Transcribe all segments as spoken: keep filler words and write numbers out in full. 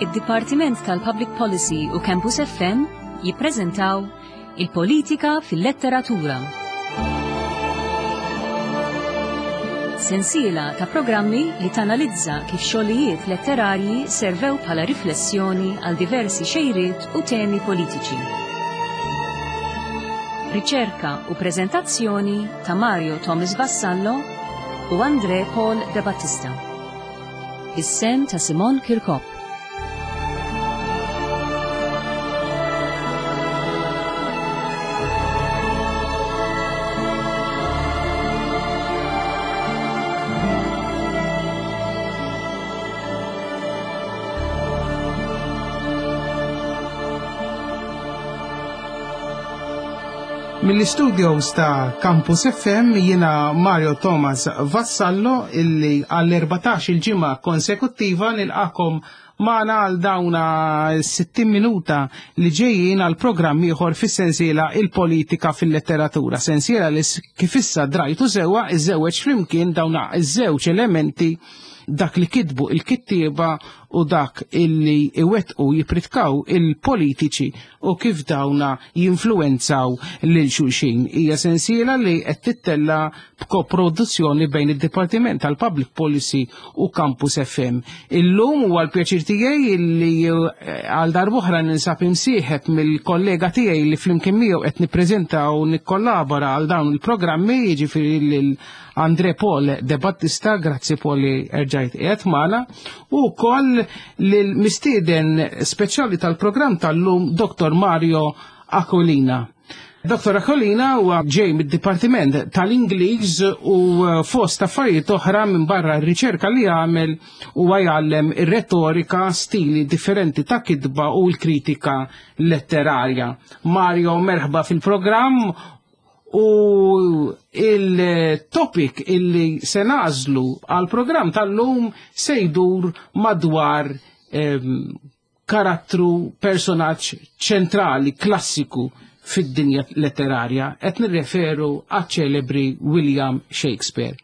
Id-Dipartiment tal-Public Policy u Campus F M jippreżentaw Il-Politika fil-Letteratura. Sensiela ta' programmi li tanalizza kif xogħlijiet letterarji servew bħala riflessjoni għal diversi xejriet u temi politiċi. Riċerka u preżentazzjoni ta' Mario Thomas Vassallo u Andre Paul De Battista. Is-sehem ta' Simon Kirkop. Mill-studios ta' Campus F M jiena Mario Thomas Vassallo illi għall-erbatax il-ġimgħa konsekuttiva nilqakom magħna għal dawna sittin minuta li ġejjin għal programm ieħor fis-sensiela Il-Politika fil-Letteratura. Sensiela li kif issa drajtu sewwa iżewweġ flimkien dawna iż-żewġ elementi, dak li kitbu il-kittieba u dak illi iwettqu jipritkaw il-politiċi u kif dawna jinfluenzaw lil xulxin. Hija sensiela li qed tittella b'koproduzzjoni bejn id-Dipartiment tal-Public Policy u Campus F M. Illum huwa l-pjaċir tiegħi illi eh, għal darb'oħra ninsab imsieħeb mill-kollega tiegħi li flimkien miegħu qed nippreżenta u nikkollabora għal dawn il-programmi, jiġifieri lil Andre Paul De Battista. Grazzi, Paul, li erġajt qiegħed magħna, u wkoll lill-mistieden speċjali tal-programm tal-lum, Dottor Mario Aquilina. Dottor Aquilina huwa ġej mid-Dipartiment tal-Ingliż u fost affarijiet oħra minn barra r-riċerka li għamel huwa jgħallem ir-retorika, stili differenti ta' kitba u l-kritika letterarja. Mario, merħba fil-programm, u il-topic illi se nagħżlu għal-programm tal-lum se jdur madwar em, karattru, personaġġ ċentrali, klassiku fid-dinja letterarja, qed nirreferu għaċ-ċelebri William Shakespeare.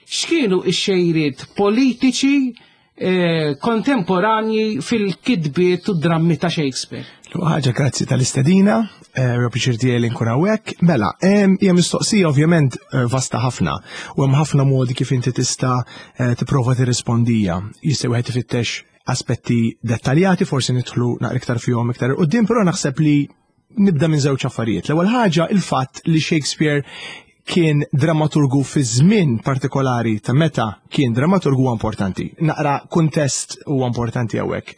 X'kienu x-xejriet politiċi eh, kontemporanji fil-kitbiet u drammi ta' Shakespeare? Ħaġa, grazzi tal-istedina, eh, pjaċir tiegħi li nkun hawnhekk. Mela, hija mistoqsija ovvjament eh, vasta ħafna u hemm ħafna modi kif inti tista' eh, tipprova tirrispondija. Jista' wieħed ifittex aspetti dettaljati, forsi nidħlu naqra iktar fihom iktar quddiem, però naħseb li nibda minn żewġ affarijiet. L-ewwel ħaġa, il-fatt li Shakespeare kien dramaturgu fi żmien partikolari ta' meta kien dramaturgu huwa importanti. Naqra kuntest huwa importanti hawnhekk.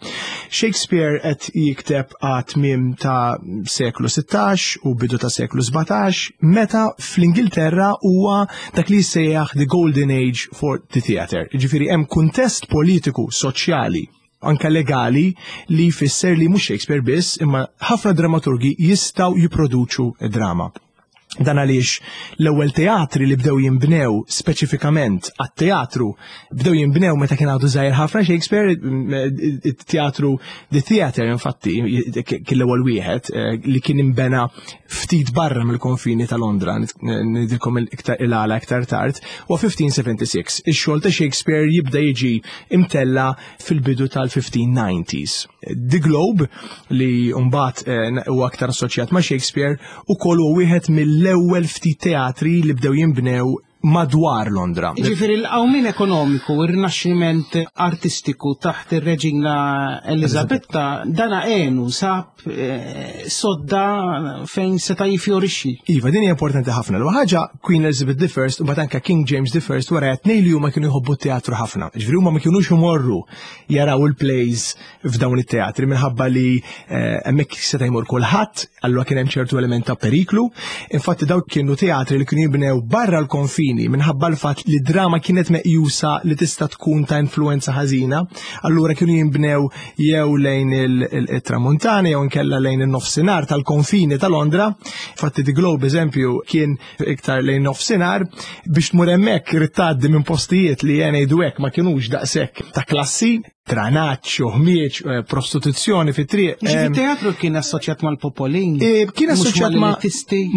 Shakespeare qed jikteb għat-tmiem ta' seklu sittax u bidu ta' seklu sbatax, meta fl-Ingilterra huwa dak li jissejjaħ the Golden Age for the Theatre. Ġifieri hemm kuntest politiku, soċjali, anka legali li jfisser li mhux Shakespeare biss, imma ħafna dramaturgi jistgħu jipproduċu drama. Dan għaliex l-ewwel teatri li bdew jinbnew speċifikament għat-teatru bdew jinbnew meta kien għadu żgħir ħafna Shakespeare, it-teatru The Theatre infatti kien l-ewwel wieħed eh, li kien imbena ftit barra mill-konfini ta' Londra, ngħidilkom iktar il-għala iktar tard, u elf ħames mija u sitta u sebgħin. Ix-xogħol ta' Shakespeare jibda jiġi imtella fil-bidu tal-elf ħames mija u disgħin. The Globe, li mbagħad eh, huwa aktar assoċjat ma' Shakespeare, ukoll huwa wieħed mill-ewwel ftit teatri li bdew jinbnew madwar Londra. Ġifieri l-qawmin ekonomiku, ir-rinaxximent artistiku taħt ir-reġina Elizabetta, dana għenu sab eh, sodda fejn seta' jifjorixxi. Iva, din hija importanti ħafna. L ħaġa, Queen Elizabeth the First u mbagħad anke King James the First wara tnejn li huma kienu jħobbu t-teatru ħafna. Ġifieri huma ma kienux imorru jaraw il-plays f'dawn it-teatri minħabba li eh, hemmhekk seta' jmur kulħadd, allura kien hemm ċertu element ta' periklu. Infatti dawk kienu teatri li kienu jibnew barra l-konfini minħabba l-fatt li drama kienet meqjusa li tista' tkun ta' influenza ħażina, allura kienu jinbnew jew lejn il-Tramuntana jew inkella lejn il-nofsinhar tal-konfini ta' Londra. Infatti The Globe, eżempju, kien iktar lejn nofsinhar, biex tmur hemmhekk irid tgħaddi minn postijiet li jien ngħidu hekk ma kinux daqshekk ta' klassi. Tranaċ, ħmieġ, eh, prostituzzjoni fit-triq. Ġifieri teatru kien assoċjat mal-popolin. Eh, kien assoċjat ma,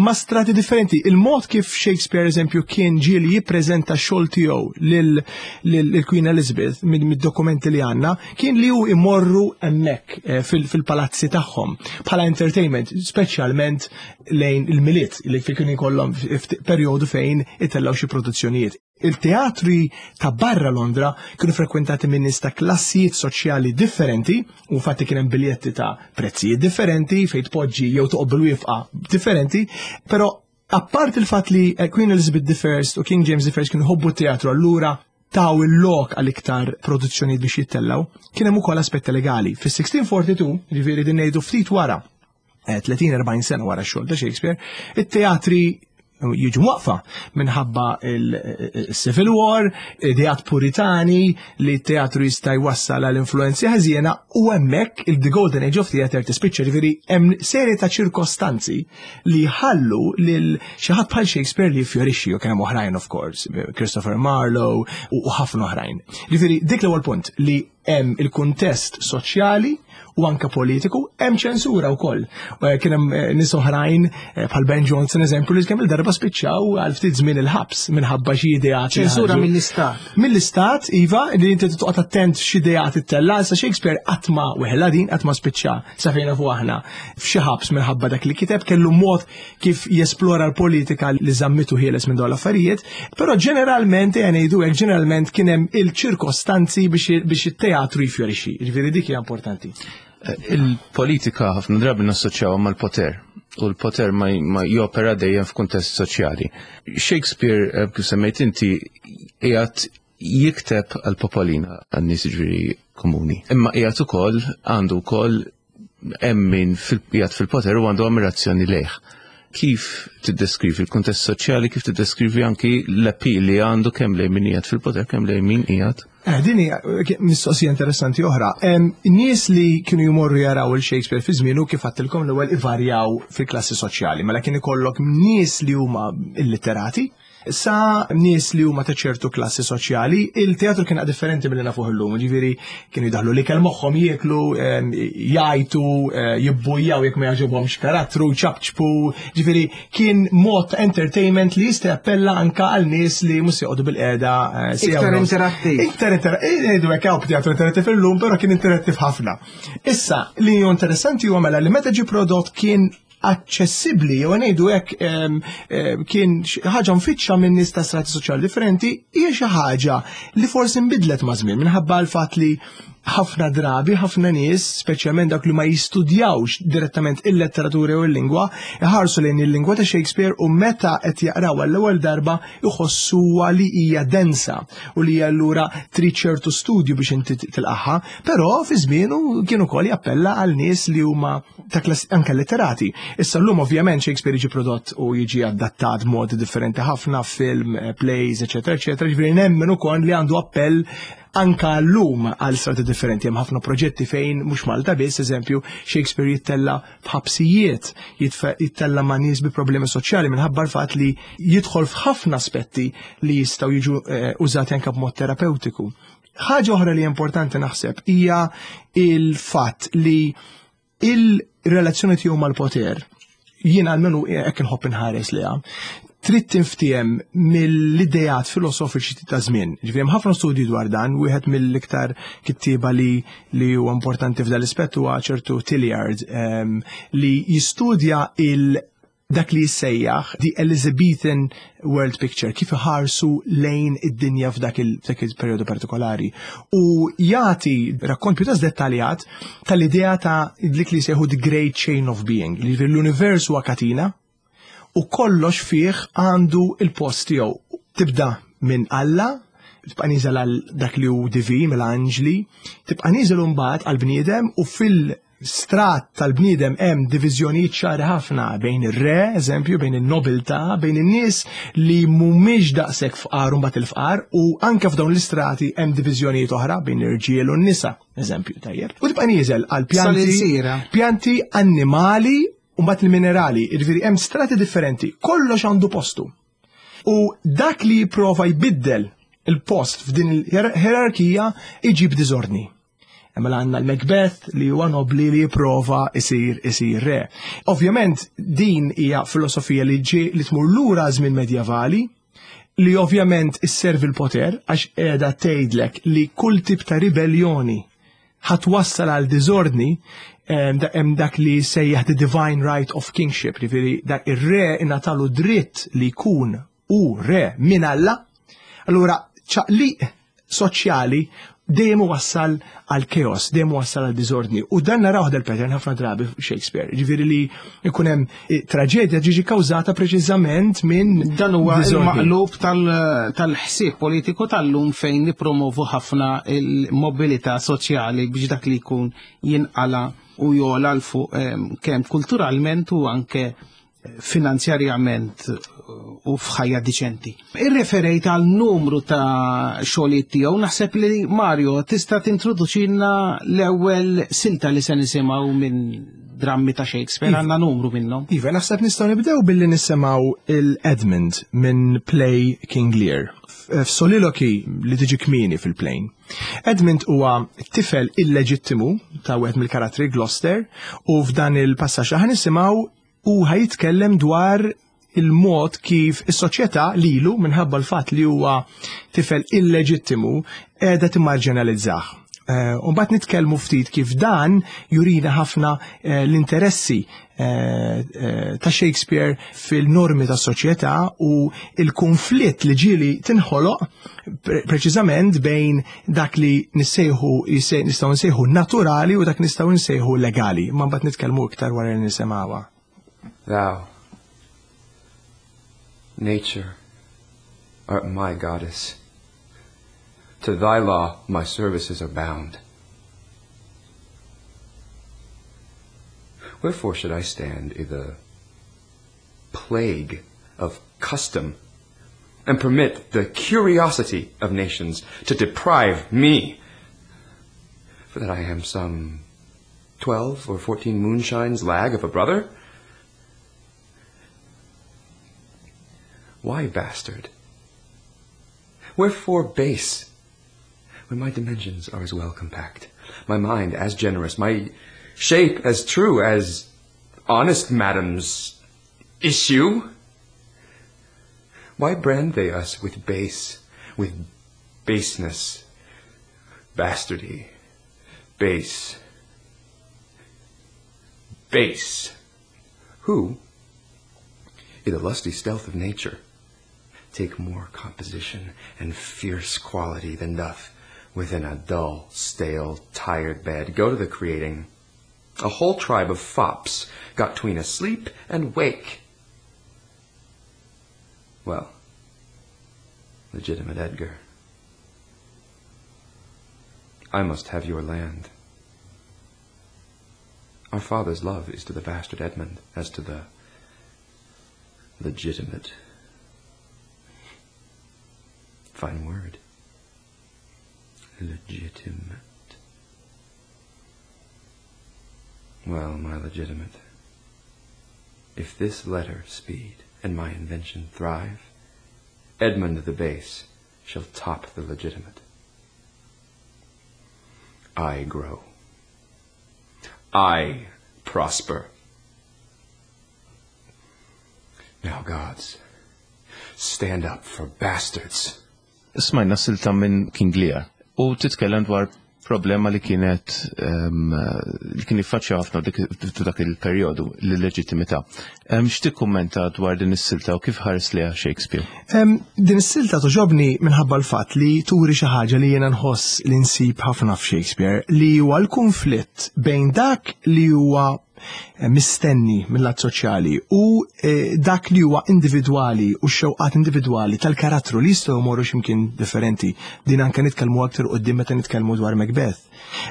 ma strati differenti. Il-mod kif Shakespeare, eżempju, kien ġieli jippreżenta xogħol tiegħu lil Queen Elizabeth mid-dokumenti li għandna, kien li hu imorru hemmhekk eh, fil-palazzi tagħhom bħala entertainment, speċjalment lejn il-Milied li fi kien ikollhom perjodu fejn itellgħu xi produzzjonijiet. Il-teatri ta' barra Londra kienu frekwentati minn nies ta' klassijiet soċjali differenti, u fatti kien hemm biljetti ta' prezzijiet differenti fejn tpoġġi jew toqgħod bil-wieqfa differenti, però apart il-fatt li Queen Elizabeth the First u King James the First kienu ħobbu teatru, allura taw il-lok għal iktar produzzjonijiet biex jittellaw, kien hemm ukoll aspetti legali. Fis-sixteen forty-two, ġifieri din ngħidu ftit wara, tletin erbgħin sena wara x-xogħol ta' Shakespeare, it-teatri jiġu waqfa minħabba il-Civil War, ideat puritani li t-teatru jista' jwassal għal influenzi ħażiena, u hemmhekk il-The Golden Age of Theatre tispiċċa. Ġifieri hemm serje ta' ċirkostanzi li ħallu lil xi ħadd bħal Shakespeare li fjorixxi, u kien hemm oħrajn, of course, Christopher Marlowe u ħafna oħrajn. Ġifieri dik l-ewwel punt, li hemm il-kuntest soċjali u anka politiku, hemm ċensura wkoll. Kien hemm eh, nies oħrajn eh, bħal Ben Jonson, eżempju, li kemm il-darba spiċċaw għal ftit żmien il-ħabs minħabba xi ideat. Ċensura mill-istat. Mill-istat, iva, li inti toqgħod attent x'ideat ittella'. Sa Shakespeare qatt ma weħla din, qatt ma spiċċa, sa fejn nafu aħna, f'xi ħabs minħabba dak li kiteb. Kellu mod kif jesplora l-politika li żammitu ħieles minn dawn l-affarijiet, però ġeneralment, ngħidu hekk, ġeneralment kien hemm il-ċirkostanzi biex it-teatru jifjorixxi. Ġifieri dik hija importanti. Il-politika ħafna drabi nassoċjaw mal-poter u l-poter ma, ma jopera dejjem f'kuntest soċjali. Shakespeare, eh, kif semmejt inti, qiegħed jikteb għal-popolina, għan-nies ġifieri komuni. Imma qiegħed ukoll għandu wkoll hemm min qiegħed fil-poter u għandu ammirazzjoni lejh. Kif tiddeskrivi il-kuntest soċjali, kif tiddeskrivi anki l-appeal li għandu kemm lejn min qiegħed fil-poter, kemm lejn min qiegħed Eh, din hija mistoqsija interessanti oħra. Nies li kienu jmorru jaraw il-Shakespeare fi żmienu, kif għedtilkom l-ewwel, ivarjaw fil-klassi soċjali. Mela kien ikollok nies li huma illiterati, sa nies li huma ta' ċertu klassi soċjali. Il-teatru kien differenti milli nafuh illum, ġifieri kienu jdaħlu l-ikel moħħhom, jieklu, jgħajtu, eh, jibbujjaw jekk ma jogħġobhomx karattru, ċapċpu, ġifieri kien mod entertainment li jista' jappella anka għal nies li mhux joqogħdu bil-qiegħda. Eh, Iktar interattiv. Iktar interattiv, ngħidu hekk, hawn teatru interattiv illum, però kien interattiv ħafna. Issa, li hu interessanti huwa mela li meta ġi prodott kien aċċessibbli, jew ngħidu hekk, kien ħaġa mfittxa minn nies ta' strati soċjali differenti, hija xi ħaġa li forsi nbidlet ma' żmien minħabba l-fatt li ħafna drabi, ħafna nies, speċjalment dak li ma jistudjawx direttament il-letteratura u l-lingwa, iħarsu lejn il-lingwa ta' Shakespeare u meta qed jaqraw għall-ewwel darba jħossuha li hija densa u li allura trid ċertu studju biex inti tilqaħħa, però fi żmienu kien ukoll jappella għal nies li huma ta' klass anke letterati. Issa llum ovvjament Shakespeare jiġi prodott u jiġi adattat b'modi differenti ħafna, film, plays, eċetera, eċetera, ġifieri nemmen ukoll li għandu appell anka l-lum għal strati differenti. Hemm ħafna proġetti fejn mhux Malta biss, eżempju, Shakespeare jittella f'ħabsijiet, jittella ma' nies bi problemi soċjali minħabba l-fatt li jidħol f'ħafna aspetti li jistgħu jiġu eh, użati anka b'mod terapeutiku. Ħaġa oħra li importanti naħseb hija il-fatt li il-relazzjoni tiegħu mal-poter, jien għalmenu hekk inħobb inħares liha, trid tinftiem mill-idejat filosofiċi ta' żmien. Ġifieri hemm ħafna studji dwar dan, wieħed mill-iktar kittieba li li huwa importanti f'dan l-ispett huwa ċertu Tillyard, um, li jistudja il dak li jissejjaħ The Elizabethan World Picture, kif iħarsu lejn id-dinja f'dak il-periodu partikolari. U jagħti rakkont pjuttost dettaljat tal-idea ta' dik li jsejħu The Great Chain of Being, li l-univers huwa katina u kollox fih għandu il-post tiegħu. Tibda minn Alla, tibqa' niżel għal dak li hu divin, mill-anġli, tibqa' niżel mbagħad għal bniedem, u fil-strat tal-bniedem hemm diviżjonijiet ċari ħafna bejn ir-re, eżempju, bejn in-nobiltà, bejn in-nies li mhumiex daqshekk fqar u mbagħad il-fqar, u anke f'dawn l-istrati hemm diviżjonijiet oħra bejn l-irġiel u n-nisa, eżempju, tajjeb. U tibqa' nieżel għal pjanti, Sal-ilsira. pjanti, annimali u mbagħad il-minerali, jiġifieri hemm strati differenti, kollox għandu postu. U dak li jipprova jbiddel il-post f'din il-ħerarkija iġib diżordni. Mela għandna l-Macbeth li huwa nobli li jipprova isir isir re. Ovvjament din hija filosofija li ġi li tmur lura żmien medjevali, li ovvjament isservi l-poter għax qiegħda tgħidlek li kull tip ta' ribellioni ħa twassal għal diżordni. Hemm dak li sejjaħ the divine right of kingship, jiġifieri dak ir-re ingħatalu dritt li jkun u re minn Alla. Allura ċaqliq soċjali dejjem wassal għal chaos, dejjem wassal għal diżordni. U dan naraw del pattern ħafna drabi Shakespeare. Ġifieri li jkun hemm eh, traġedja ġiġi kawżata preċiżament minn Dan huwa il-maqlub tal-ħsieb politiku tal-lum fejn nipromovu ħafna il-mobilità soċjali biex dak li jkun jinqala u jola l fuq kemm kulturalment u anke finanzjarjament u f'ħajja diċenti. Irreferejt għal numru ta' xogħlijiet tiegħu, naħseb li Mario tista' tintroduċilna l-ewwel silta li se nisimgħu minn drammi ta' Shakespeare, Iva. għandna numru minnhom. Iva, naħseb nistgħu nibdew billi nisimgħu il-Edmund minn play King Lear. F'soliloquy li tiġi kmieni fil-play. Edmund huwa tifel illeġittimu ta' wieħed mill-karattri, Gloucester, u f'dan il-passaġġ ħa nisimgħu u ħa jitkellem dwar il-mod kif is-soċjetà lilu, minħabba l-fatt li huwa tifel illeġittimu, qiegħda timmarġinalizzah. Eh, u mbagħad nitkellmu ftit kif dan jurina ħafna eh, l-interessi eh, ta' Shakespeare fil-normi tas soċjetà u il-konflitt li ġieli tinħoloq preċiżament bejn dak li nissejħu nistgħu nsejħu naturali u dak nistgħu nsejħu legali. Ma mbagħad nitkellmu iktar wara li nisimgħuha. Thou, nature, art my goddess. To thy law my services are bound. Wherefore should I stand i' the plague of custom, and permit the curiosity of nations to deprive me, for that I am some twelve or fourteen moonshines lag of a brother? Why bastard? Wherefore base, when my dimensions are as well compact, my mind as generous, my shape as true as honest madam's issue? Why brand they us with base, with baseness, bastardy, base, base? Who, in the lusty stealth of nature, take more composition and fierce quality than doth within a dull, stale, tired bed go to the creating a whole tribe of fops got tween asleep and wake? Well, legitimate Edgar, I must have your land. Our father's love is to the bastard Edmund as to the legitimate. Fine word. Legitimate. Well, my legitimate, if this letter speed and my invention thrive, Edmund the base shall top the legitimate. I grow. I prosper. Now, gods, stand up for bastards. Smajna silta minn King Lear u titkellem dwar problema li kienet um, li kien jiffaċċja ħafna dak il-perjodu, l-leġittimità. Um, X'tikkummenta dwar din is-silta u kif ħares liha Shakespeare? Um, din is-silta togħġobni minħabba l-fatt li turi xi ħaġa li jiena nħoss li nsib ħafna f'Shakespeare, li huwa l-konflitt bejn dak li huwa mistenni mill-lat soċjali u eh, dak li huwa individwali u x-xewqat individwali tal-karattru li jistgħu jmorru x'imkien differenti. Din anke nitkellmu aktar quddiem meta nitkellmu dwar Macbeth.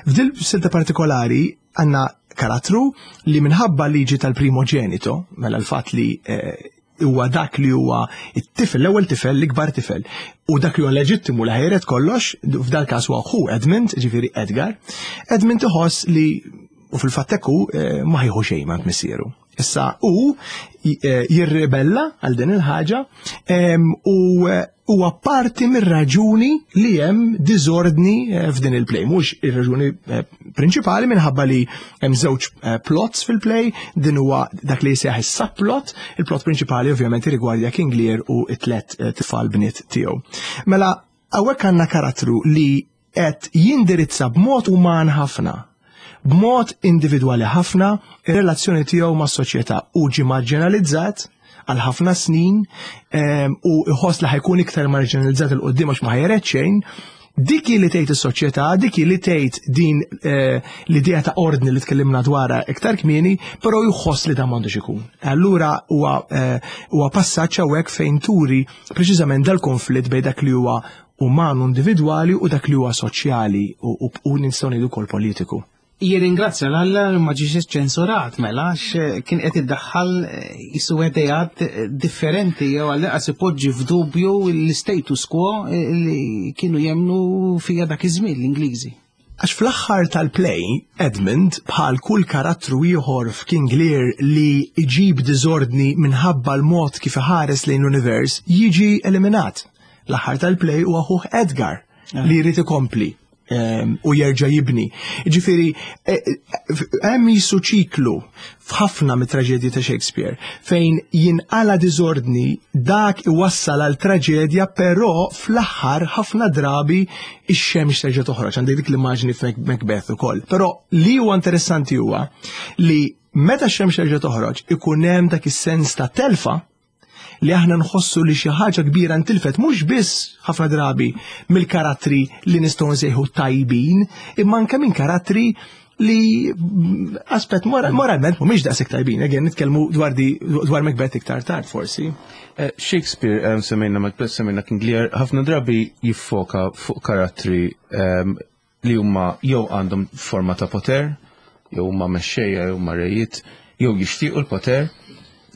F'dil silta partikolari għandna karattru li minħabba liġi tal-primogenito, mela l-fatt li eh, huwa dak li huwa it-tifel, l-ewwel tifel, l-ikbar tifel, u dak li huwa leġittimu li ħa jiret kollox, f'dal każ huwa ħu Edmund, ġifieri Edgar. Edmund iħoss li u fil-fatt ekku eh, ma ħieħu xejn ma missieru. Issa u eh, jirribella għal din il-ħaġa u eh, huwa parti mir-raġuni li hemm diżordni eh, f'din il-play. Mhux ir-raġuni prinċipali, minħabba li hemm żewġ plots fil-play, din huwa dak li jsejjaħ is-subplot, il-plot prinċipali ovvjament rigwardja King Lear u t-tlet tfal bniet tiegħu. Mela hawnhekk għandna karattru li qed jindirizza b'mod uman ħafna, b'mod individwali ħafna, ir-relazzjoni tiegħu mas-soċjetà, u ġi marginalizzat għal ħafna snin u iħoss li ħa jkun iktar marginalizzat 'il quddiem għax ma ħa jiret xejn. Dik li tgħid is-soċjetà, dik li tgħid din eh, l-idea ta' ordni li tkellimna dwarha iktar kmieni, però jħoss li dan m'għandux ikun. Allura huwa eh, huwa passaġġ hawnhekk fejn turi preċiżament dal-konflitt bejn dak li huwa uman, individwali, u dak li huwa soċjali u, u nistgħu ngħidu wkoll politiku. Jirringrazzja 'l Alla li ma ġiex ċensurat mela, għax kien qed iddaħħal jisu ideat differenti jew għall ipoġġi f'dubju l-status quo li kienu jemnu fija dak iż-żmien l-Ingliżi. Għax fl-aħħar tal-play, Edmund, bħal kull karattru ieħor f'King Lear li iġib diżordni minħabba l-mod kif iħares lejn l-univers, jiġi eliminat. L-aħħar tal-play huwa ħuh Edgar li jrid ikompli u jerġa' jibni. Ġifieri, e, e, hemm jisu ċiklu f'ħafna mit-traġedji ta' Shakespeare fejn jinqala diżordni, dak iwassal għal traġedja, però fl-aħħar ħafna drabi ix-xemx terġa' toħroġ. Għandek dik l-immaġni f'Macbeth ukoll. Però li huwa interessanti huwa li meta x-xemx terġa' toħroġ ikun hemm dak is-sens ta' telfa li aħna nħossu li xi ħaġa kbira ntilfet, mhux biss ħafna drabi mill-karattri li nistgħu nsejħu tajbin, imma anke minn karattri li mm, aspett moralment mhumiex daqshekk tajbin. Again, nitkellmu dwar di dwar Macbeth iktar tard forsi. Eh, Shakespeare, um, semmejna Macbeth, semmejna King Lear, ħafna drabi jiffoka fuq karattri um, li huma jew għandhom forma ta' poter, jew huma mexxejja, jew huma rejiet, jew jixtiequ l-poter,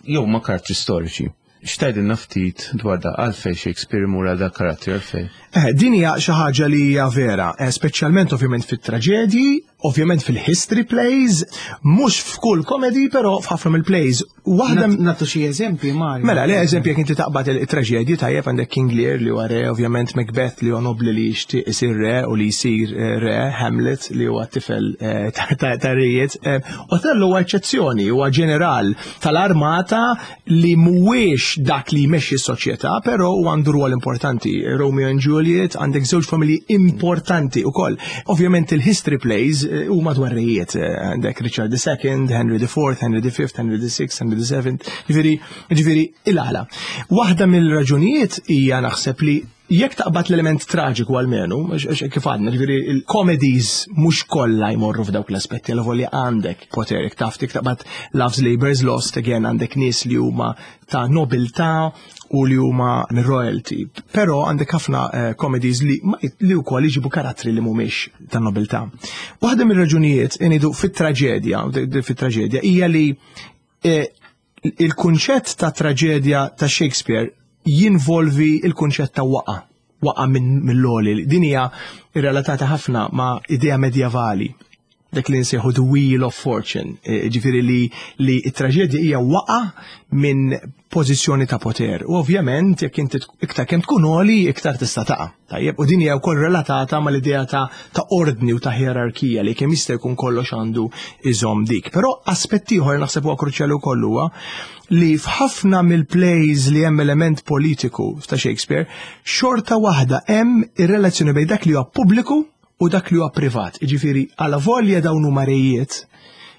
jew huma karattri storiċi. X'tgħidilna ftit dwar da, għalfejn Shakespeare imur għal da karattri, għalfejn? Eh, din hija xi ħaġa li hija vera, eh, speċjalment ovvjament fit-traġedji, ovvjament fil-history plays, mhux f'kull comedy, però f'ħafna mill-plays. Waħda Nagħtu xi eżempji, Mario. Mela, le, eżempju, jekk inti taqbad il-traġedji, tajjeb, għandek King Lear li huwa re, ovvjament Macbeth li huwa nobli li jixtieq isir re u li jsir eh, re, Hamlet li huwa tifel eh, ta' rejiet. Eh, Othello huwa eċċezzjoni, huwa ġeneral tal-armata li mhuwiex dak li jmexxi s-soċjetà, però huwa għandu rwol importanti. Romeo and Juliet, għandek żewġ familji importanti ukoll. Ovvjament il-history plays huma dwar rejiet, għandek Richard the Second, Henry the Fourth, Henry the Fifth, Henry the Sixth, Henry the Seventh, ġifieri, ġifieri il-għala. Waħda mill-raġunijiet hija naħseb li jekk taqbad l-element traġiku għalmenu, kif għadna, ġifieri il-comedies mhux kollha jmorru f'dawk l-aspetti, għal volja għandek poter, jekk taf taqbad Love's Labour's Lost, again għandek nies li huma ta' nobiltà u li huma royalty. Però għandek ħafna uh, comedies li li wkoll jġibu karattri li mhumiex ta' nobiltà. Waħda mir-raġunijiet inidu fit-traġedja, fit-traġedja hija li eh, il-kunċett ta' traġedja ta' Shakespeare jinvolvi il-kunċett ta' waqa, waqa minn mill-għoli. Din hija relatata ħafna ma' idea medjevali, dak li nsejħu the Wheel of Fortune, e, ġifieri li li it-traġedja hija waqa minn pożizzjoni ta' poter. U ovvjament jekk inti iktar kemm tkun għoli, iktar tista' taqa'. Tajjeb, u din hija wkoll relatata mal-idea ta' ta' ordni u ta' hierarkija li kemm jista' jkun kollox għandu iżomm dik. Però aspett ieħor naħseb huwa kruċjali wkoll huwa li f'ħafna mill-plays li hemm element politiku ta' Shakespeare, xorta waħda hemm ir-relazzjoni bejn dak li huwa pubbliku u dak li huwa privat. Jiġifieri għala volja dawn huma rejiet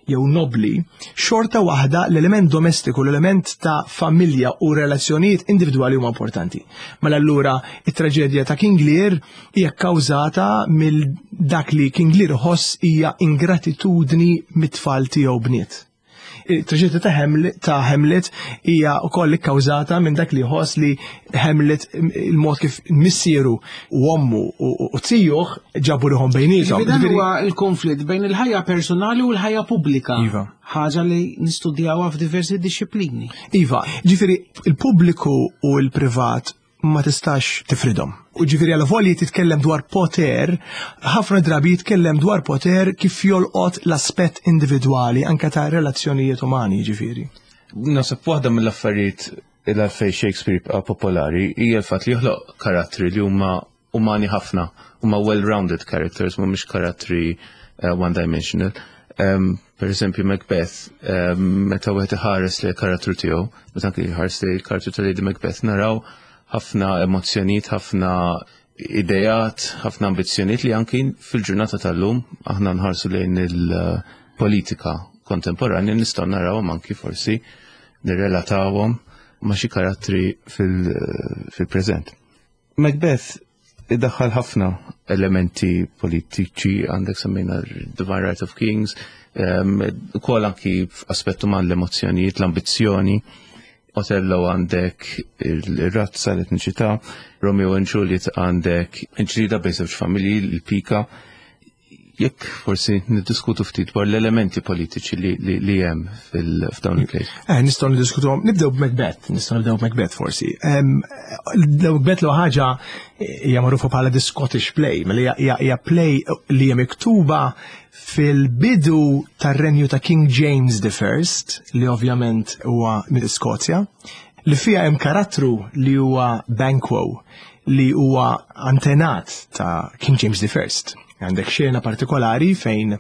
jew nobli, xorta waħda l-element domestiku, l-element ta' familja u relazzjonijiet individwali huma importanti. Mela allura it-traġedja ta' King Lear hija kkawżata mill dak li King Lear ħoss hija ingratitudni mit-tfal tiegħu bniet. Il-traġedja ta' Hamlet, ta' Hamlet hija wkoll ikkawżata minn dak li jħoss li Hamlet, il-mod kif missieru u ommu u zijuh ġabu ruħhom bejniethom. Dan huwa il-konflitt bejn il-ħajja personali u l-ħajja pubblika. Iva. Ħaġa li nistudjawha f'diversi disciplini. Iva, ġifieri il-pubbliku u l-privat ma tistax tifridhom. U ġifieri għal volja titkellem dwar poter, ħafna drabi jitkellem dwar poter kif jolqot l-aspett individwali anka ta' relazzjonijiet umani ġifieri. Naħseb waħda mill-affarijiet il-għalfej Shakespeare jibqa' popolari hija l-fatt li joħloq karattri li huma umani ħafna, huma well-rounded characters, mhumiex karattri uh, one-dimensional. Um, per eżempju Macbeth, um, meta wieħed iħares li karattru tiegħu, meta anke jħares li karattru ta' Lady Macbeth, naraw ħafna emozzjonijiet, ħafna idejat, ħafna ambizzjonijiet li anki fil-ġurnata tal-lum aħna nħarsu lejn il-politika kontemporanja, nistgħu narawhom, anki forsi nirrelatawhom ma' xi karattri fil-preżent. Macbeth iddaħħal ħafna elementi politiċi, għandek semmejna Divine Right of Kings, um, ukoll anki f'aspett uman, l-emozzjonijiet, l-ambizzjoni. Otello għandek il-razza, l-etniċità, Romeo and Juliet għandek il-ġlieda bejn żewġ familji, il-pika. Jekk forsi niddiskutu ftit dwar l-elementi politiċi li, li, li hemm fil-f'dawn il-plays. Eh, nistgħu niddiskutu, nibdew b'Macbeth, nistgħu nibdew b'Macbeth forsi. Em, Macbeth l ħaġa hija magħrufa bħala the Scottish play, mela hija- hija play li hija miktuba fil-bidu tar-renju ta' King James the First, li ovvjament huwa mill-Iskozja, li fija hemm karattru li huwa Banquo, li huwa antenat ta' King James the First. Għandek xena partikolari fejn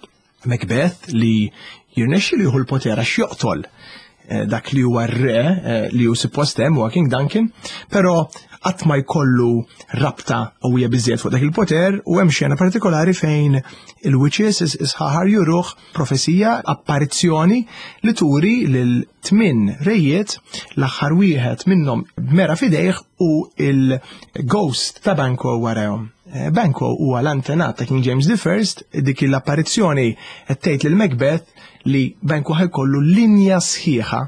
Macbeth li jirnexxi li jieħu l-poter għax joqtol eh, dak li huwa r-re eh, li hu suppost hemm, huwa King Duncan, però qatt ma jkollu rabta qawwija biżejjed fuq dak il-poter, u hemm xena partikolari fejn il-witches, is-sħaħar, juruh profezija, apparizzjoni li turi lil tmin rejiet, l-aħħar wieħed minnhom b'mera f'idejh u il-ghost ta' Banquo warahom. Eh, Banquo huwa l-antenat ta' King James the First. Dik l-apparizzjoni qed tgħid lil Macbeth li Banquo ħa jkollu linja sħiħa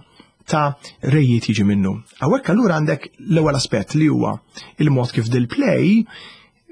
ta' rejiet jiġi minnu. Hawnhekk allura għandek l-ewwel aspett li huwa il-mod kif dil-play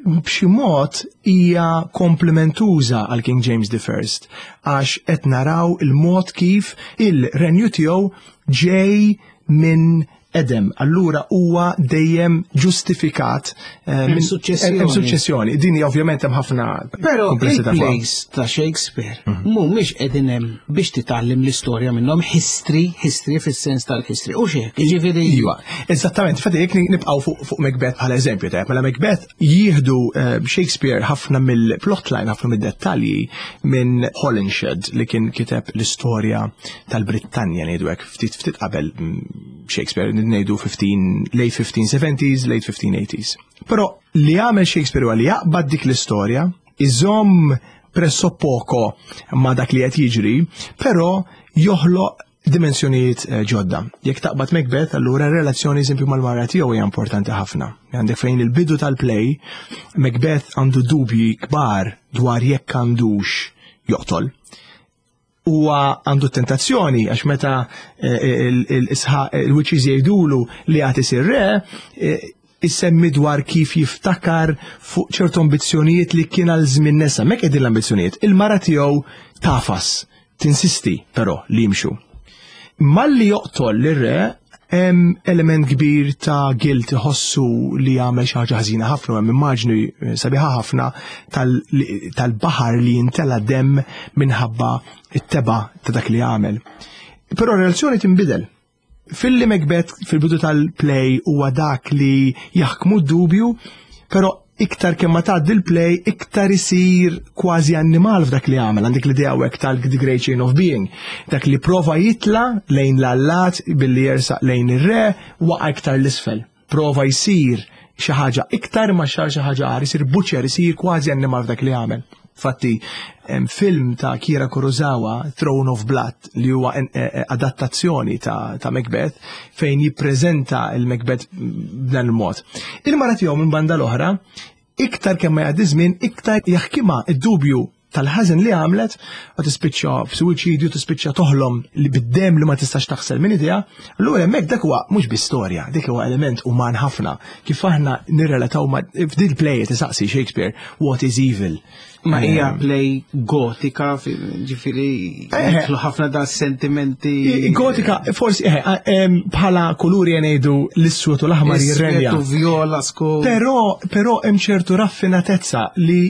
b'xi mod hija komplementuża għal King James the First, għax qed naraw il-mod kif il-renju tiegħu ġej minn Edem, allura huwa dejjem ġustifikat eh, minn suċċessjoni. Hemm suċċessjoni. Din hija ovvjament hemm ħafna Però komplessità fuqha. il-plays ta' Shakespeare mhumiex qegħdin hemm biex titgħallem l-istorja minnhom, history, history fis-sens tal-history. U xek, jiġifieri. Iva, eżattament, infatti jekk nibqgħu fuq fuq Macbeth bħala eżempju, tajjeb, mela Macbeth jieħdu eh, Shakespeare ħafna mill-plotline, ħafna mid-dettalji minn Holinshed li kien kiteb l-istorja tal-Brittanja, ngħidu hekk, ftit ftit qabel mm, Shakespeare, ngħidu fifteen, late fifteen seventies, late fifteen eighties. Però li għamel Shakespeare huwa li jaqbad dik l-istorja, iżomm pressappoco ma dak li qed jiġri, però joħloq dimensjonijiet eh, ġodda. Jekk taqbad Macbeth, allura relazzjoni eżempju mal-mara tiegħu hija importanti ħafna. Għandek fejn il-bidu tal-play, Macbeth għandu dubji kbar dwar jekk għandux joqtol. Huwa għandu tentazzjoni għax meta eh, il-witches jgħidulu li għad isir re, eh, issemmi dwar kif jiftakar fuq ċertu ambizzjonijiet li kien għal żmien nesa. Mek qegħdin l-ambizzjonijiet. Il-mara tiegħu tafas, tinsisti però li jimxu. Malli joqtol lir-re hemm element kbir ta' guilt, iħossu li għamel xi ħaġa ħażina ħafna, u hemm immaġni eh, sabiħa ħafna tal- tal-baħar li jintela dem minħabba it-teba ta' dak li għamel. Però r-relazzjoni tinbidel. Filli Macbeth fil-bidu tal-play huwa dak li jaħkmu d-dubju, però iktar kemm ma tgħaddi l-play, iktar isir kważi annimal f'dak li għamel. Għandek l-idea hekk tal-The Great Chain of Being. Dak li prova jitla lejn l-allat billi jersaq lejn ir-re, waqa' iktar l-isfel. Prova jsir xi ħaġa iktar ma xar xi ħaġa agħar, isir butcher, isir kważi annimal f'dak li għamel. Fatti, hemm film ta' Akira Kurosawa, Throne of Blood, li huwa en- eh, eh, adattazzjoni ta', ta' Macbeth, fejn jippreżenta il-Macbeth b'dan il-mod. Il-mara tiegħu minn banda l-oħra, iktar kemm ma jgħaddi żmien, iktar jaħkimha id-dubju tal-ħażen li għamlet, u tispiċċa f'suwiċidju, tispiċċa toħlom li bid-dem li ma tistax taħsel minn idea. Allura hemmhekk dak huwa mhux bi storja, dik huwa element uman ħafna. Kif aħna nirrelataw ma f'dil play tisaqsi Shakespeare, "What is evil?" Ma hija play gotika, ġifieri jidħlu ħafna da sentimenti. Gotika, forsi bħala kuluri ngħidu l-iswed u l-aħmar jirrenja. Iswed u viola skur. Però però hemm ċertu raffinatezza li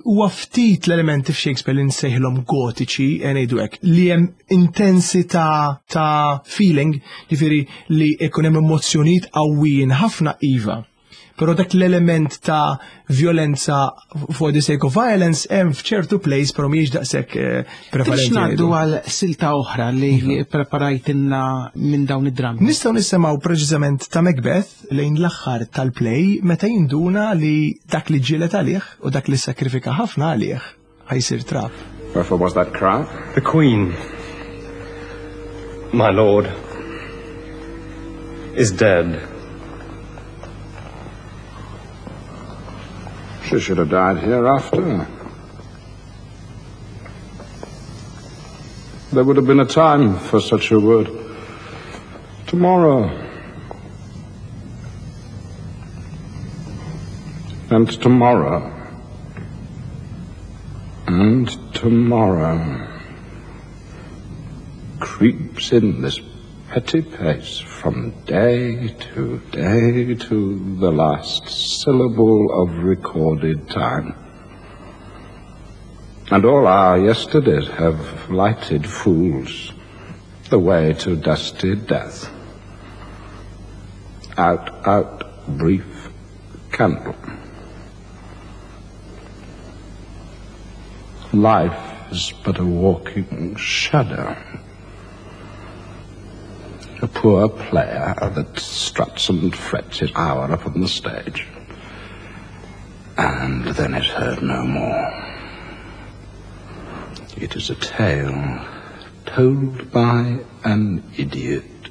huwa ftit l-elementi f'Shakespeare li nsejħilhom gotiċi ngħidu hekk, li hemm intensità ta' feeling, ġifieri li jkun hemm emozzjonijiet qawwijin ħafna iva. Però dak l-element ta' violenza for the sake of violence hemm f'ċertu plays, però mhijiex daqshekk prevalenti. Biex ngħaddu għal silta oħra li preparajtilna minn dawn id-drammi. Nistgħu nisimgħu preċiżament ta' Macbeth lejn l-aħħar tal-play meta jinduna li dak li ġielet għalih u dak li sakrifika ħafna għalih ħajsir trap. Wherefore was that cry? The Queen, my lord, is dead. She should have died hereafter. There would have been a time for such a word. Tomorrow. And tomorrow. And tomorrow. Creeps in this petty pace from day to day to the last syllable of recorded time. And all our yesterdays have lighted fools the way to dusty death. Out, out, brief candle. Life is but a walking shadow. A poor player that struts and frets his hour upon the stage, and then is heard no more. It is a tale told by an idiot,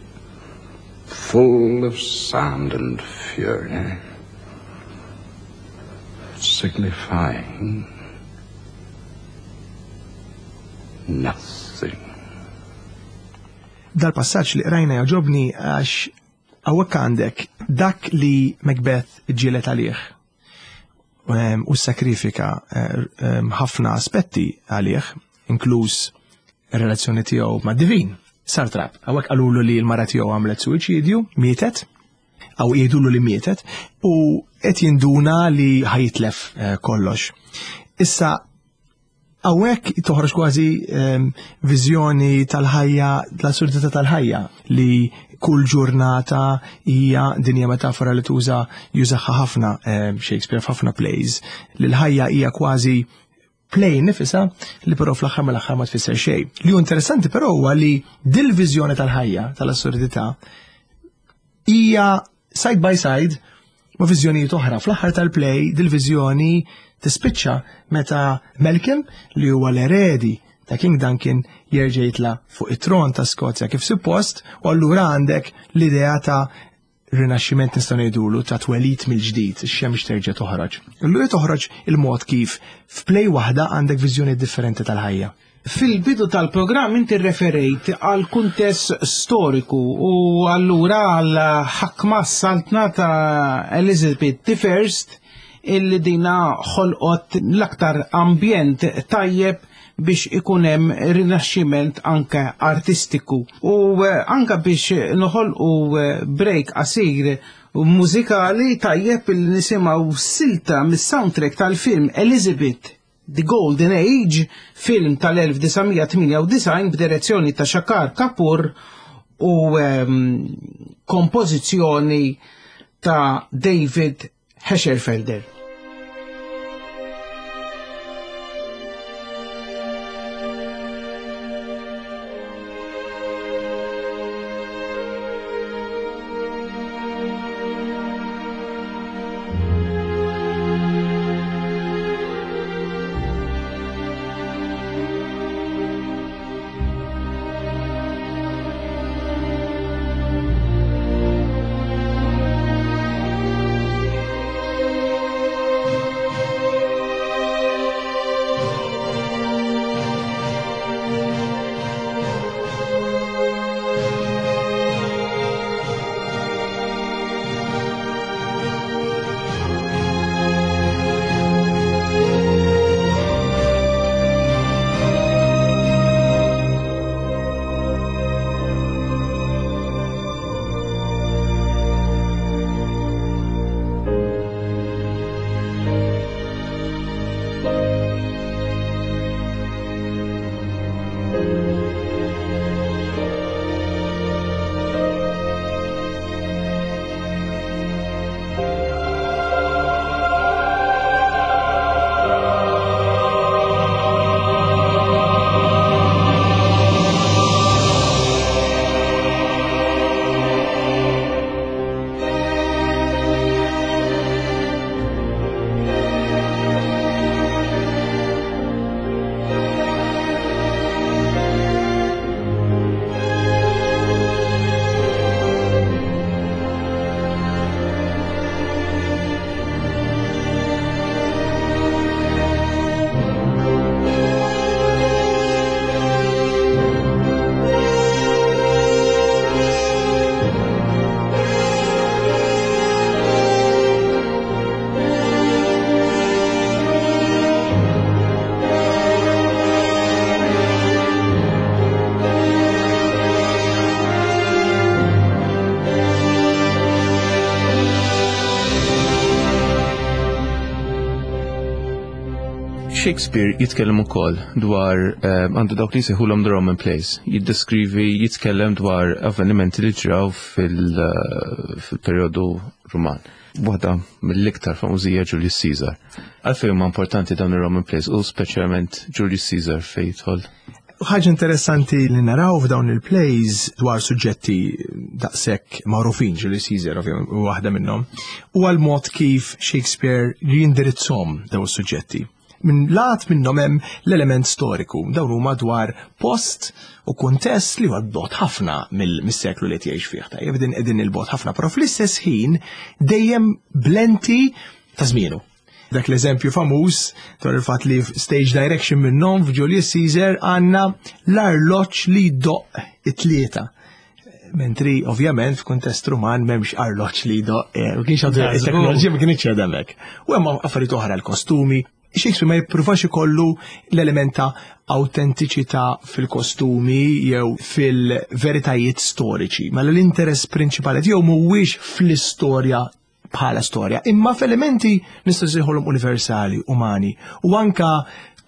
full of sound and fury, signifying nothing. Dal-passaġġ li qrajna jogħġobni għax hawnhekk għandek dak li Macbeth ġielet għalih u sakrifika ħafna aspetti għalih, inkluż ir-relazzjoni tiegħu ma' divin. Sar trap. Hawnhekk qalulu li l-mara tiegħu għamlet suwiċidju, mietet, aw jgħidulu li mietet, u qed jinduna li ħajitlef kollox. Issa hawnhekk toħroġ kważi viżjoni tal-ħajja, l-assurdità tal-ħajja li kull ġurnata hija dinja metafora li tuża jużaha ħafna Shakespeare f'ħafna plays, li l-ħajja hija kważi play nifisha li però fl-aħħar mill-aħħar ma tfisser xejn. Li hu interessanti però huwa li dil-viżjoni tal-ħajja, tal-assurdità, hija side by side ma' viżjonijiet oħra. Fl-aħħar tal-play dil-viżjoni tispiċċa meta Malcolm, li huwa l-eredi ta' King Duncan, jerġa' jitla' fuq it-tron ta' Skozja kif suppost, u allura għandek l-idea ta' rinaxximent nistgħu ngħidulu ta' twelid mill-ġdid, ix-xemx terġa' toħroġ. Allura toħroġ il-mod kif f'play waħda għandek viżjoni differenti tal-ħajja. Fil-bidu tal-programm inti referejt għal kuntest storiku u allura għal ħakma s-saltna ta' Elizabeth the First illi dina ħolqot l-aktar ambjent tajjeb biex ikun hemm rinaxximent anke artistiku. U anke biex noħolqu break qasir mużikali tajjeb il nisimgħu silta mis-soundtrack tal-film Elizabeth The Golden Age, film tal-elf disa' mija tmienja u disgħin b'direzzjoni ta' Shekhar Kapur u um, kompożizzjoni ta' David Hescherfelder. Thank Shakespeare jitkellem ukoll dwar eh, għandu dawk li jsejħulhom the Roman plays. Jiddeskrivi, jitkellem dwar avvenimenti li ġraw eh, fil-perjodu Ruman. Waħda mill-iktar famużija Julius Caesar. Għalfejn huma importanti dawn ir-Roman plays u speċjalment Julius Caesar fejn jidħol? Ħaġa interessanti li naraw f'dawn il-plays dwar suġġetti daqshekk magħrufin, Julius Caesar ovvjament waħda minnhom, u għal mod kif Shakespeare jindirizzhom dawn is-suġġetti. Minn lat minnhom hemm l-element storiku, dawn huma dwar post u kuntest li huwa bogħod ħafna mill-seklu li qed jgħix fih. Tajjeb din qegħdin il-bogħod ħafna, però fl-istess ħin dejjem b'lenti ta' żmienu. Dak l-eżempju famuż dwar il-fatt li stage direction minnhom f'Julius Caesar għandna l-arloġġ li jdoqq it-tlieta. Mentri, ovvjament, f'kuntest Ruman m'hemmx arloġġ li jdoqq, eh, ma kienx għadu it-teknoloġija ma kienx għadha hemmhekk. U hemm affarijiet oħra, l-kostumi. Shakespeare ma jippruvax ikollu l-element ta' autentiċità fil-kostumi jew fil-veritajiet storiċi, ma l-interess prinċipali tiegħu mhuwiex fl-istorja bħala storja, imma f'elementi nistgħu nsejħulhom universali, umani u anka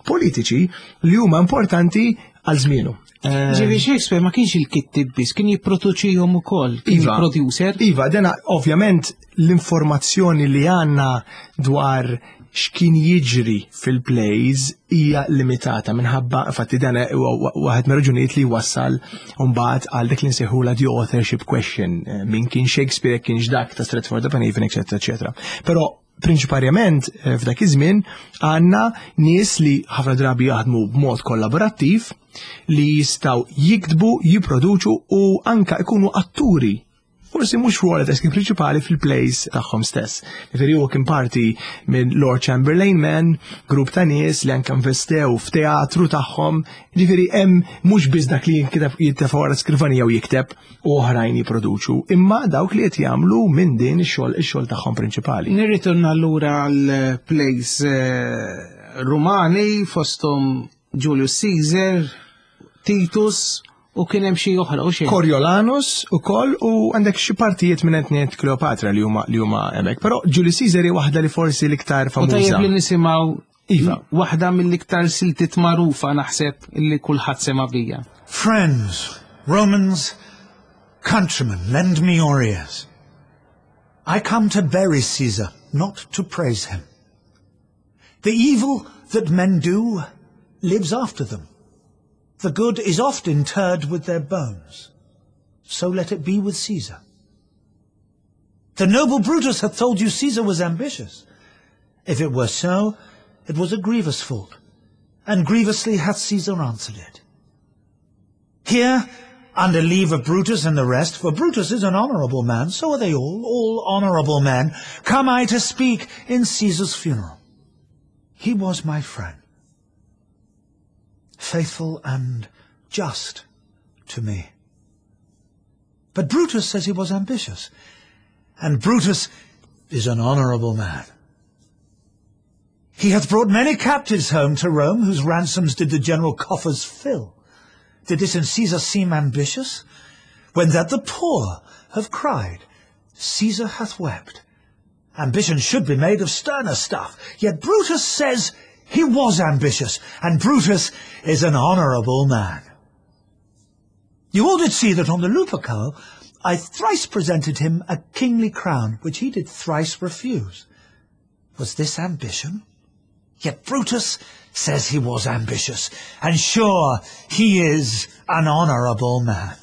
politiċi li huma importanti għal żmienu. Eh, Ġifieri Shakespeare ma kienx il-kittib biss, kien jipproduċihom ukoll, kien Iva. producer. Iva, dena ovvjament l-informazzjoni li għandna dwar x'kien jiġri fil-plays hija limitata minħabba, infatti dan huwa waħed mir-raġunijiet li wassal mbagħad għal dik li nsejħula the authorship question, eh, min kien Shakespeare, kienx dak ta' Stratford upon Avon, eċetera, eċetera. Però prinċiparjament eh, f'dak iż-żmien għandna nies li ħafna drabi jaħdmu b'mod kollaborattiv li jistgħu jiktbu, jipproduċu u anka ikunu atturi, forsi mhux rwol ta' prinċipali, fil-plays tagħhom stess. Ġifieri huwa kien parti minn Lord Chamberlain Men, grupp ta' nies li anke investew f'teatru tagħhom. Ġifieri hemm mhux biss dak li jinkiteb, jittefa' wara skrivanija u jikteb u oħrajn jipproduċu, imma dawk li qed jagħmlu minn din ix-xogħol ix-xogħol tagħhom prinċipali. Nirritorna allura għal plays eh, Rumani fosthom Julius Caesar, Titus u kien hemm xi oħra u xejn. Coriolanus ukoll u għandek xi partijiet minn Antony and Cleopatra li huma li huma hemmhekk. Però Julius Caesar hi waħda li forsi l-iktar U famuża. tajjeb li nisimgħu Iva. waħda mill-iktar siltiet magħrufa, naħseb li kulħadd sema bija. Friends, Romans, countrymen, lend me your ears. I come to bury Caesar, not to praise him. The evil that men do lives after them. The good is oft interred with their bones. So let it be with Caesar. The noble Brutus hath told you Caesar was ambitious. If it were so, it was a grievous fault, and grievously hath Caesar answered it. Here, under leave of Brutus and the rest, for Brutus is an honourable man, so are they all, all honourable men, come I to speak in Caesar's funeral. He was my friend, faithful and just to me. But Brutus says he was ambitious, and Brutus is an honourable man. He hath brought many captives home to Rome, whose ransoms did the general coffers fill. Did this in Caesar seem ambitious? When that the poor have cried, Caesar hath wept. Ambition should be made of sterner stuff. Yet Brutus says he was ambitious, and Brutus is an honourable man. You all did see that on the Lupercal I thrice presented him a kingly crown, which he did thrice refuse. Was this ambition? Yet Brutus says he was ambitious, and sure he is an honourable man.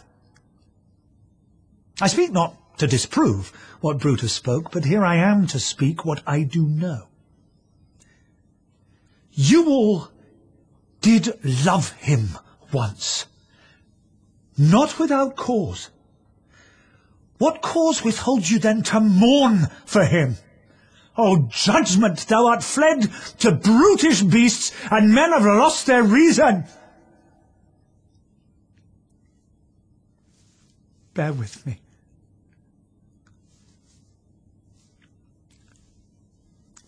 I speak not to disprove what Brutus spoke, but here I am to speak what I do know. You all did love him once, not without cause. What cause withholds you then to mourn for him? O judgment, thou art fled to brutish beasts, and men have lost their reason. Bear with me.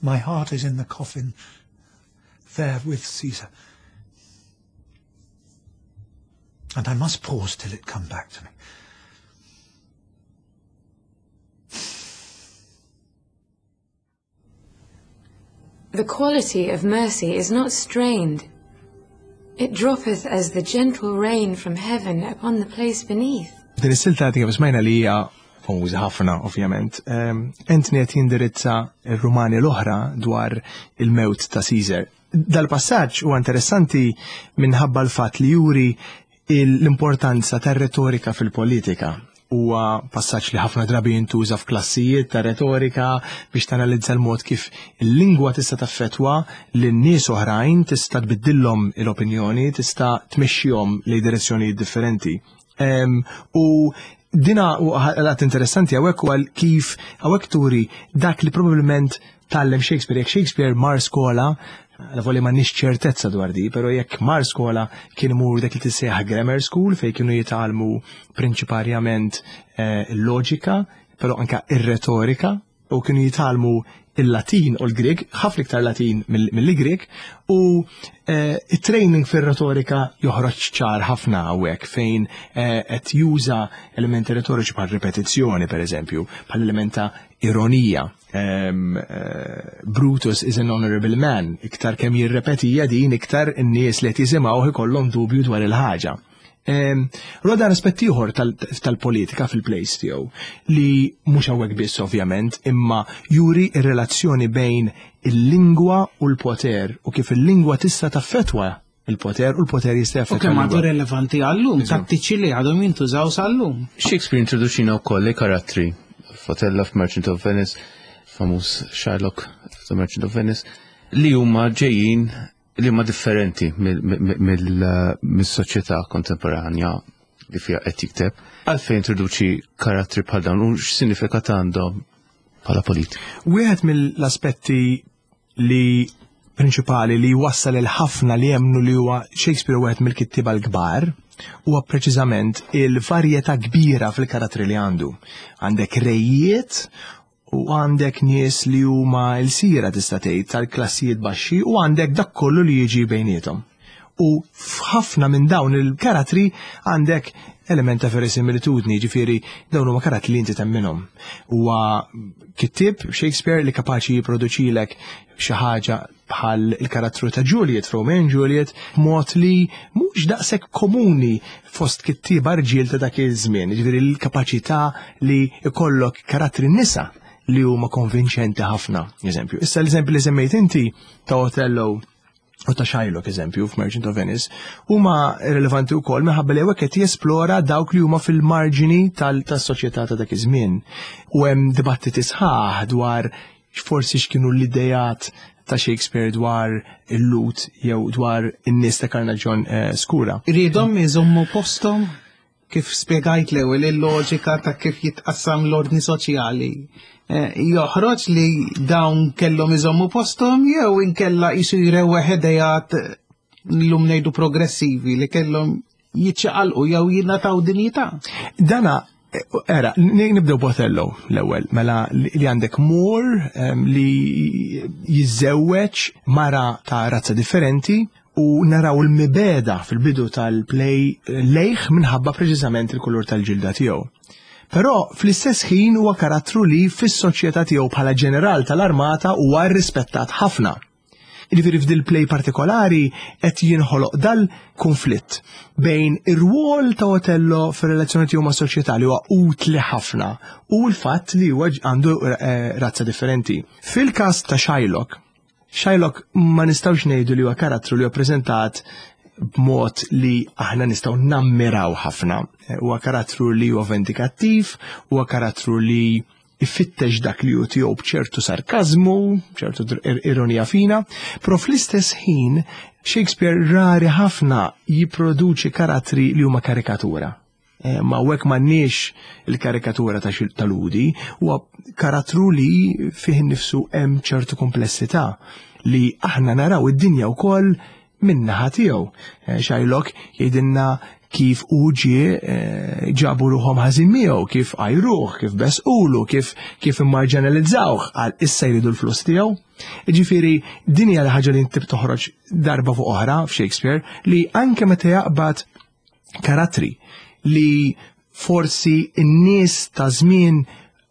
My heart is in the coffin, there with Caesar. And I must pause till it come back to me. The quality of mercy is not strained. It droppeth as the gentle rain from heaven upon the place beneath. Din is-silta kif smajna li hija famuża ħafna, ovvjament. Ehm, Anthony qed jindirizza r-Rumani l-oħra dwar il-mewt ta' Caesar. Dal-passaġġ huwa interessanti minħabba l-fatt li juri l-importanza tar-retorika fil-politika. Huwa passaġġ li ħafna drabi jintuża f'klassijiet ta' retorika biex tanalizza l-mod kif il-lingwa tista' taffetwa lin-nies oħrajn, tista' tbiddilhom l-opinjoni, tista' tmexxihom lejn direzzjonijiet differenti. Em, u dina għat interessanti hawnhekk huwa kif hawnhekk turi dak li probabbilment tgħallem Shakespeare. Jekk Shakespeare mar skola, għal ma nix ċertezza dwar di, pero jekk mar skola kien imur dak li tissejjaħ grammar school fej kienu jitgħallmu prinċiparjament eh, il-loġika, pero anka ir-retorika, u kienu jitgħallmu il-Latin u l-Grek, ħafna iktar Latin mill-Grek, u eh, il-training fil-retorika joħroġ ċar ħafna hawnhekk fejn eh, qed juża elementi retoriċi bħal ripetizzjoni, per eżempju, bħal element ta' ironija. Um, uh, Brutus is an honorable man. Iktar kemm jirrepetija din, iktar in-nies li qed jisimgħu ikollhom dubju dwar il-ħaġa. Um, Roda aspett ieħor tal-politika fil-plays tiegħu li mhux hawnhekk biss ovvjament, imma juri ir-relazzjoni bejn il-lingwa u l-poter u kif il-lingwa tista' taffetwa il-poter u l-poter jista' U jaffettwa kemm għadu l-lingwa. relevanti għallum, tattiċi li għadhom jintużaw sal-lum. Shakespeare introduċina wkoll li karattri f'Othello f'Merchant of Venice, famuż Shylock The Merchant of Venice, li huma ġejjin li huma differenti mill-soċjetà kontemporanja li fiha qed jikteb. Għalfejn introduċi karattri bħal dawn u x'sinifikat għandhom bħala politika. Wieħed mill-aspetti li prinċipali li wassal il-ħafna li jemnu li huwa Shakespeare wieħed mill-kittiba l-kbar huwa preċiżament il-varjetà kbira fil-karattri li għandu. Għandek rejiet u għandek nies li huma l-sira tista' tgħid tal-klassijiet baxxi u għandek dak kollu li jiġi bejniethom. U f'ħafna minn dawn il-karattri għandek element ta' verisimilitudni, ġifieri dawn huma karattri li inti temminhom. Huwa kittib Shakespeare li kapaċi jipproduċilek xi ħaġa bħal il-karattru ta' Juliet, Romeo and Juliet, mod li mhux daqshekk komuni fost kittiba rġiel ta' dak iż-żmien, ġifieri l-kapaċità li ikollok karattri nisa li huma konvinċenti ħafna, eżempju. Issa l-eżempju li semmejt inti ta' Othello u ta' Shylock, eżempju, f'Merchant of Venice, huma rilevanti wkoll minħabba li hawnhekk qed jesplora dawk li huma fil-marġini tas-soċjetà ta' dak iż-żmien. U hemm dibattiti sħaħ dwar forsi x'kienu l-idejat ta' Shakespeare dwar il-Lhud jew dwar in-nies ta' karnaġjon eh, skura. Riedhom iżommu postom kif spjegajt l-ewwel il-loġika ta' kif jitqassam l-ordni soċjali. Eh, Joħroġ li dawn kellhom iżommu postom jew inkella jisu jrewweħ idejat llum ngħidu progressivi li kellhom jiċċaqalqu jew jingħataw dinjità. Dana, era, nibdew b'Othello l-ewwel, mela li għandek Moor em, li jiżżewweġ mara ta' razza differenti u naraw il-mibegħda fil-bidu tal-play lejh minħabba preċiżament il-kulur tal-ġilda tiegħu. Però fl-istess ħin huwa karattru li fis-soċjetà tiegħu bħala ġeneral tal-armata huwa rrispettat ħafna. Jiġifieri f'dil play partikolari qed jinħoloq dal-konflitt bejn ir-rwol ta' Otello fir-relazzjoni tiegħu ma' soċjetà li huwa utli ħafna u l-fatt li huwa għandu eh, razza differenti. Fil-każ ta' Shylock, Shylock ma nistgħux ngħidu li huwa karattru li huwa preżentat b'mod li aħna nistgħu nammiraw ħafna. Huwa karattru li huwa vendikattiv, huwa karattru li ifittex dak li hu tiegħu b'ċertu sarkazmu, ċertu ironija fina, però fl-istess ħin Shakespeare rari ħafna jipproduċi karattri li huma karikatura. Eh, ma hekk m'għandniex il-karikatura ta' tal-Lhudi, huwa karattru li fih innifsu hemm ċertu komplessità li aħna naraw id-dinja wkoll min-naħa tiegħu. Eh, Shylock jgħidilna kif u ġie eh, ġabu ruħhom ħażin miegħu, kif għajruh, kif besqulu, kif kif immarġinalizzawh għal issa jridu l-flus tiegħu. Ġifieri din hija ħaġa li inti toħroġ darba fuq oħra f'Shakespeare li anke meta jaqbad karattri li forsi n-nies ta' żmien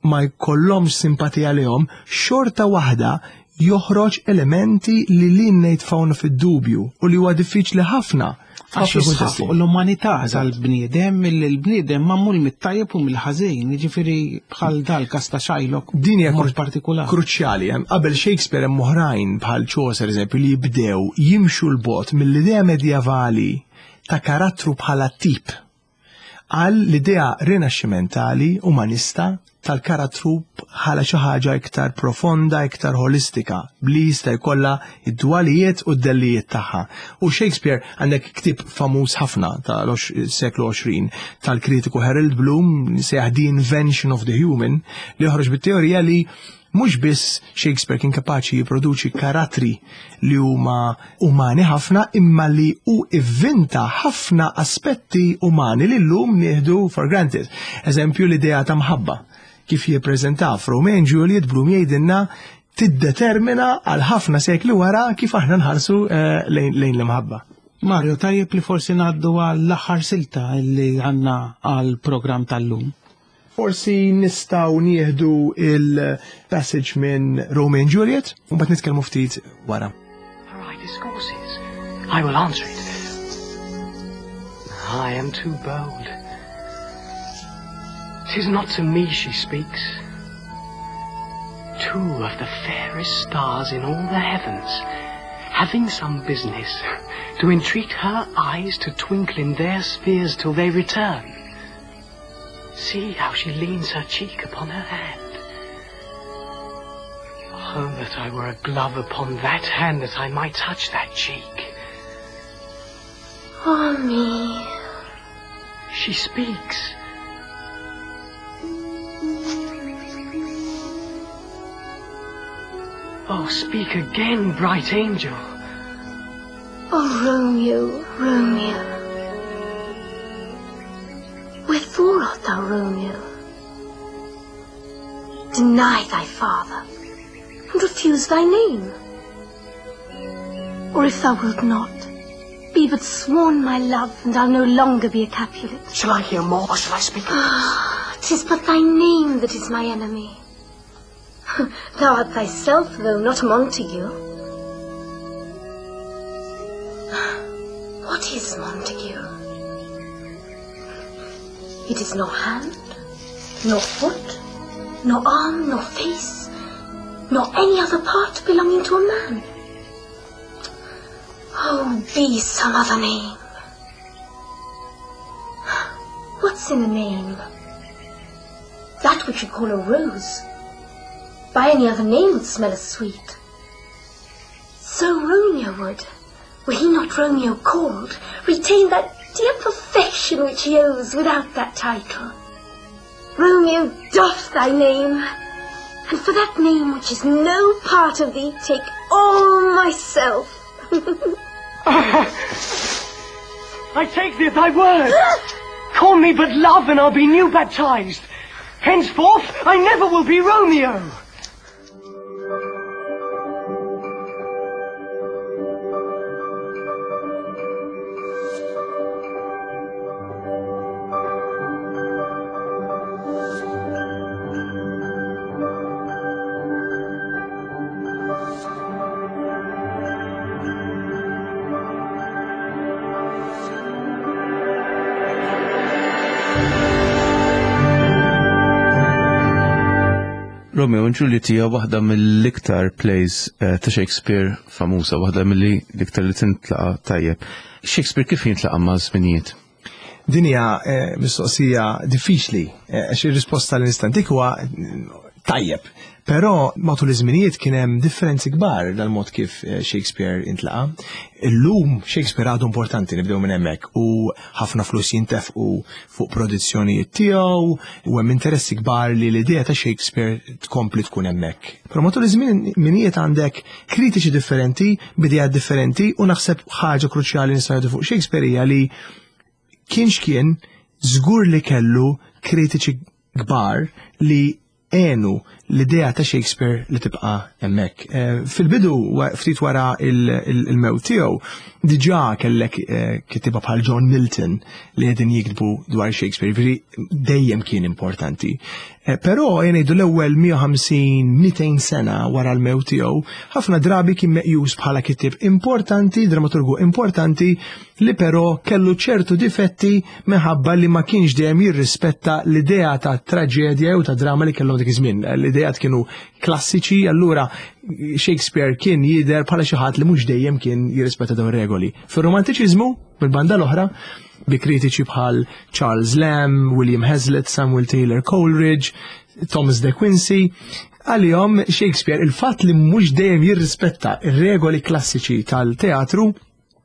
ma jkollhomx simpatija lihom, xorta waħda joħroġ elementi li lilna jitfgħuna fid-dubju u li huwa diffiċli ħafna. Għax jisħaq fuq l-umanità tal-bniedem, il-bniedem magħmul mit-tajjeb u mill-ħażin, jiġifieri bħal dal-każ ta' Shylock. Din hija mod partikolari. Kruċjali, hemm qabel Shakespeare hemm oħrajn bħal Chaucer eżempju li jibdew jimxu 'l bogħod mill-idea medjevali ta' karattru bħala tip għal l-idea rinaxximentali umanista tal-karattru bħala xi ħaġa iktar profonda, iktar holistika, li jista' jkollha id-dwalijiet u d-dellijiet tagħha. U Shakespeare għandek ktieb famuż ħafna tal-seklu għoxrin tal-kritiku Harold Bloom sejjaħ The Invention of the Human, li joħroġ bit-teorija li mhux biss Shakespeare kien kapaċi jipproduċi karattri li huma umani ħafna, imma li hu ivvinta ħafna aspetti umani li llum nieħdu for granted. Eżempju, l-idea ta' mħabba kif jippreżenta f'Romeo and Juliet, Bloom jgħidilna tiddetermina għal ħafna sekli wara kif aħna nħarsu eh, lejn lejn l-imħabba. Mario, tajjeb li forsi ngħaddu għall-aħħar silta li għandna għall-programm tal-lum. Forsi nistgħu nieħdu il-passage minn Romeo and Juliet u mbagħad nitkellmu ftit wara. Her eye discourses. I will answer it. I am too bold. Tis not to me she speaks. Two of the fairest stars in all the heavens, having some business, to entreat her eyes to twinkle in their spheres till they return. See how she leans her cheek upon her hand. Oh, that I were a glove upon that hand, that I might touch that cheek. Ah me. She speaks. Oh, speak again, bright angel. Oh, Romeo, Romeo. Wherefore art thou Romeo? Deny thy father, and refuse thy name. Or if thou wilt not, be but sworn my love, and I'll no longer be a Capulet. Shall I hear more, or shall I speak of this? Tis but thy name that is my enemy. Thou art thyself, though, not a Montague. What is Montague? It is nor hand, nor foot, nor arm, nor face, nor any other part belonging to a man. Oh, be some other name. What's in a name? That which you call a rose, by any other name would smell as sweet. So Romeo would, were he not Romeo called, retain that dear perfection which he owes without that title. Romeo, doff thy name, and for that name which is no part of thee, take all myself. I take thee at thy word. Call me but love, and I'll be new baptized. Henceforth, I never will be Romeo. Romeo and Juliet hija waħda mill-iktar plays eh, ta' Shakespeare famuża, waħda mill-iktar li tintlaqa tajjeb. Shakespeare kif jintlaqa ma' żminijiet? Din hija eh, mistoqsija diffiċli, eh, għax ir-risposta li nista' ntik huwa tajjeb. Però matul iż-żminijiet kien hemm differenzi kbar dal-mod kif eh, Shakespeare intlaqa. Illum Shakespeare għadu importanti, nibdew minn hemmhekk, u ħafna flus jintefqu fuq produzzjonijiet tiegħu u hemm interessi kbar li l-idea ta' Shakespeare tkompli tkun hemmhekk. Però matul iż-żminijiet għandek kritiċi differenti, b'idejat differenti, u naħseb ħaġa kruċjali nistgħu ngħidu fuq Shakespeare hija li kienx kien żgur li kellu kritiċi kbar li għenu l-idea ta' Shakespeare li tibqa' hemmhekk. Eh, fil-bidu, ftit wara il-mewt tiegħu, diġà kellek eh, kittieba bħal John Milton li qegħdin jiktbu dwar Shakespeare, ġifieri dejjem kien importanti. Eh, però jgħidu l-ewwel mija u ħamsin mitejn sena wara l-mewt tiegħu, ħafna drabi kien meqjus bħala kittieb importanti, dramaturgu importanti, li però kellu ċertu difetti minħabba li ma kienx dejjem jirrispetta l-idea ta' traġedja u ta' drama li kellhom dik iż-żmien. L-idea kienu klassiċi, allura Shakespeare kien jidher bħala xi ħadd li mhux dejjem kien jirrispetta dawn regoli. Fir-romantiċiżmu, mill-banda l-oħra, bi kritiċi bħal Charles Lamb, William Hazlitt, Samuel Taylor Coleridge, Thomas De Quincey, għalihom Shakespeare il-fatt li mhux dejjem jirrispetta ir-regoli klassiċi tal-teatru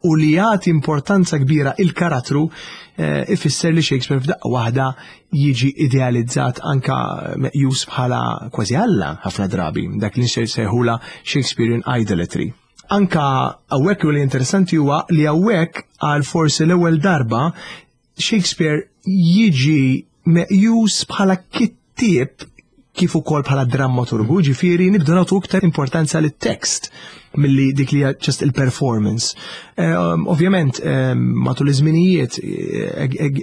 u li jagħti importanza kbira il-karattru eh, ifisser li Shakespeare f'daqqa waħda jiġi idealizzat, anka meqjus bħala kważi Alla ħafna drabi, dak li nsejħula Shakespearean idolatry. Anka hawnhekk u li interessanti huwa li hawnhekk għal forsi l-ewwel darba Shakespeare jiġi meqjus bħala kittieb kif ukoll bħala drammaturgu, ġifieri nibdu nagħtu iktar importanza lit-tekst milli dik li just il-performance. Um, Ovvjament, um, matul iż-żminijiet,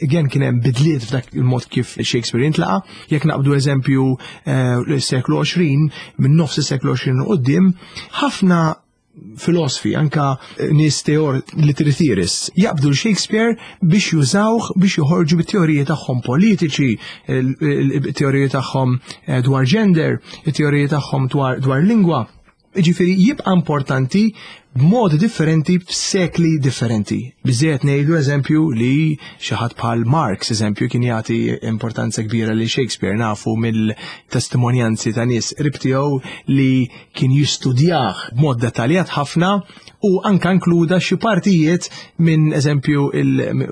again kien hemm bidliet f'dak il-mod kif Shakespeare intlaqa, jekk naqbdu eżempju uh, l-seklu għoxrin, minn nofs is-seklu għoxrin u quddiem, ħafna filosofi, anka nies teor literary theorists, jaqbdu l-Shakespeare biex jużawh biex joħorġu bit-teoriji tagħhom politiċi, il-teoriji tagħhom eh, dwar gender, il-teoriji tagħhom dwar, dwar lingwa. Ġifieri jibqa' importanti b'modi differenti f'sekli differenti. Biżejjed ngħidu eżempju li xi ħadd bħal Marx, eżempju, kien jagħti importanza kbira li Shakespeare. Nafu mill-testimonjanzi ta' nies qrib tiegħu li kien jistudjah b'mod dettaljat ħafna u anka inkluda xi partijiet minn eżempju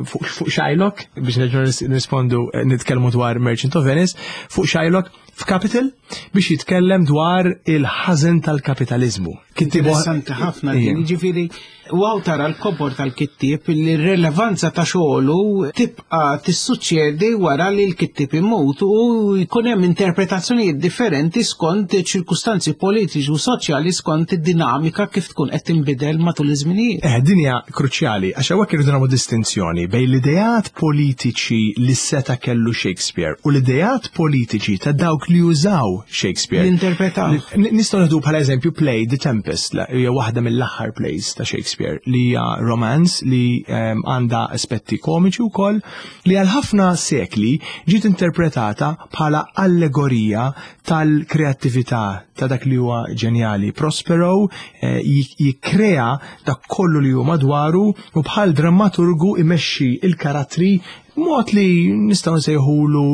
fuq Shylock, biex nerġgħu nirrispondu, nitkellmu dwar Merchant of Venice, fuq Shylock f'Capital biex jitkellem dwar il-ħażen tal-kapitalizmu. Interessanti ħafna din, ġifieri, wow, tara l-kobor tal-kittieb li r-relevanza ta' xogħlu tibqa' tissuċċedi wara li l-kittieb imut u jkun hemm interpretazzjonijiet differenti skont ċirkustanzi politiċi u soċjali, skont id-dinamika kif tkun qed tinbidel matul iż-żminijiet. Eh, din hija kruċjali għax hawnhekk irridu nagħmlu distinzjoni bejn l-ideat politiċi li seta' kellu Shakespeare u l-ideat politiċi ta' dawk li jużaw Shakespeare. L-interpretaw. Nistgħu nieħdu bħala eżempju play The Tempest, hija waħda mill-aħħar plays ta' Shakespeare li hija romance li għandha aspetti komiċi wkoll, li għal ħafna sekli ġiet interpretata bħala allegorija tal-kreattività, ta' dak li huwa ġenjali. Prospero eh, jikkrea dak kollu li huwa madwaru u bħal drammaturgu imexxi il-karattri mod li nistgħu nsejħulu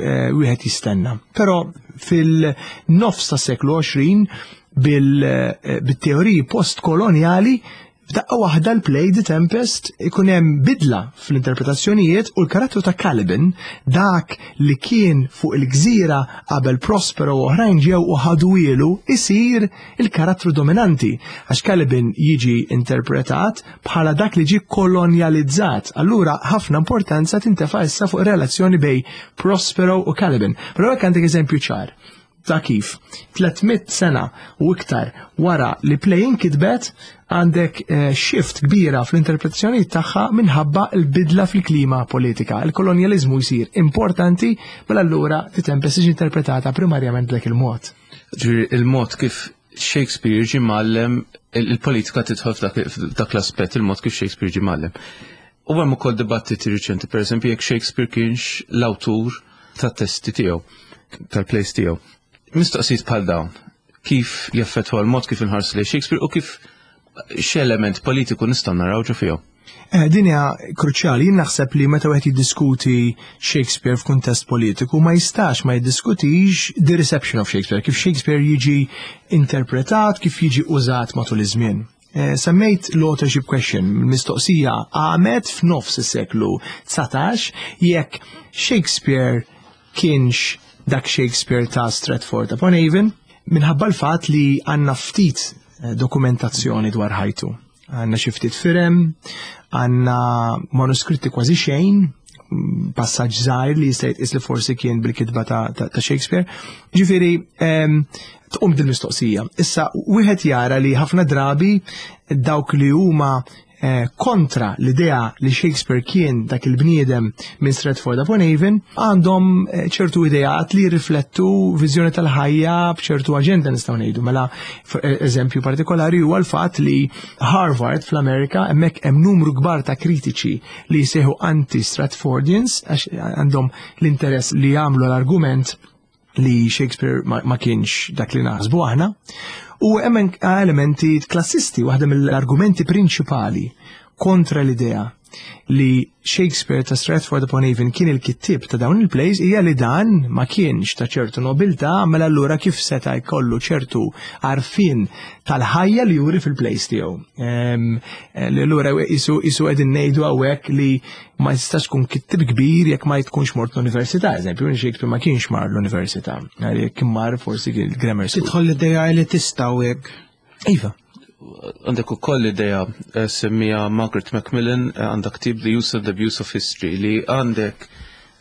eh, wieħed jistenna. Però fil-nofs tas seklu għoxrin, eh, bil-teoriji postkoloniali, f'daqqa waħda l-play The Tempest ikun hemm bidla fl-interpretazzjonijiet u l-karattru ta' Caliban, dak li kien fuq il-gżira qabel Prospero u oħrajn ġew u ħaduhielu, isir il-karattru dominanti għax Caliban jiġi interpretat bħala dak li ġi kolonializzat. Allura ħafna importanza tintefa' issa fuq relazzjoni bejn Prospero u Caliban. Però hekk għandek eżempju ċar ta' kif tliet mitt sena u iktar wara li play inkitbet għandek eh, shift kbira fl-interpretazzjoni tagħha minħabba l-bidla fil-klima politika. Il-kolonjalizmu jsir importanti, mela allura The Tempest tiġi interpretata primarjament dak il-mod. Ġifieri il-mod kif Shakespeare ġi mgħallem, il-politika tidħol f'dak l-aspett, il-mod kif Shakespeare ġi mgħallem. U hemm ukoll dibattiti riċenti, per eżempju, jekk Shakespeare kienx l-awtur tat-testi tiegħu, tal-plays tiegħu. Mistoqsijiet bħal dawn, kif jaffettwa l-mod kif inħarsu lejn Shakespeare u kif x'element politiku nistgħu naraw ġo fihom? Eh, din hija kruċjali. Jien naħseb li meta wieħed jiddiskuti Shakespeare f'kuntest politiku ma jistax ma jiddiskutix the reception of Shakespeare, kif Shakespeare jiġi interpretat, kif jiġi użat matul iż-żmien. Eh, semmejt l-authorship question, mistoqsija għamet f'nofs is-seklu dsatax jekk Shakespeare kienx dak Shakespeare ta' Stratford upon Avon, minħabba l-fatt li għandna ftit eh, dokumentazzjoni dwar ħajtu. Għandna xi ftit firem, għandna manuskritti kważi xejn, passaġġ żgħir li jista' jitqis li forsi kien bil-kitba ta', ta, ta Shakespeare. Ġifieri tqum din mistoqsija. Issa wieħed jara li ħafna drabi dawk li huma eh, kontra l-idea li Shakespeare kien dak il-bniedem minn Stratford upon Avon għandhom eh, ċertu ideat li riflettu viżjoni tal-ħajja b'ċertu aġenda, nistgħu ngħidu. Mela eh, eżempju partikolari huwa l-fatt li Harvard fl-Amerika, hemmhekk hemm numru kbar ta' kritiċi li jsejħu anti-Stratfordians, għax għandhom l-interess li jagħmlu l-argument li Shakespeare ma, ma kienx dak li naħsbu aħna. U hemm elementi klassisti. Waħda mill-argumenti prinċipali kontra l-idea li Shakespeare ta' Stratford upon Avon kien il-kittib ta' dawn il-plays hija li dan ma kienx ta' ċertu nobiltà, mela allura kif seta' jkollu ċertu għarfien tal-ħajja li juri fil-plays tiegħu? Li allura isu isu qegħdin ngħidu hawnhekk li ma jistax tkun kittib kbir jekk ma tkunx mort l-università, eżempju, Shakespeare ma kienx mar l-università, jekk mar forsi il-grammar school. Tidħol l-idea elitista u hekk. Iva. Għandek ukoll idea eh, semmija Margaret Macmillan, eh, għandek ktib The Use and Abuse of History, li għandek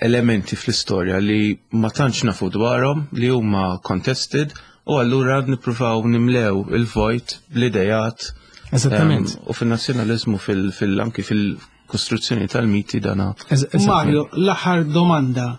elementi fl-istorja li ma tantx nafu dwarhom, li huma contested, u allura nippruvaw nimlew il-vojt bl-idejat. Eżattament. U fil-nazzjonalizmu, fil-anki fil-kostruzzjoni tal-miti dana. Mario, l-aħħar domanda.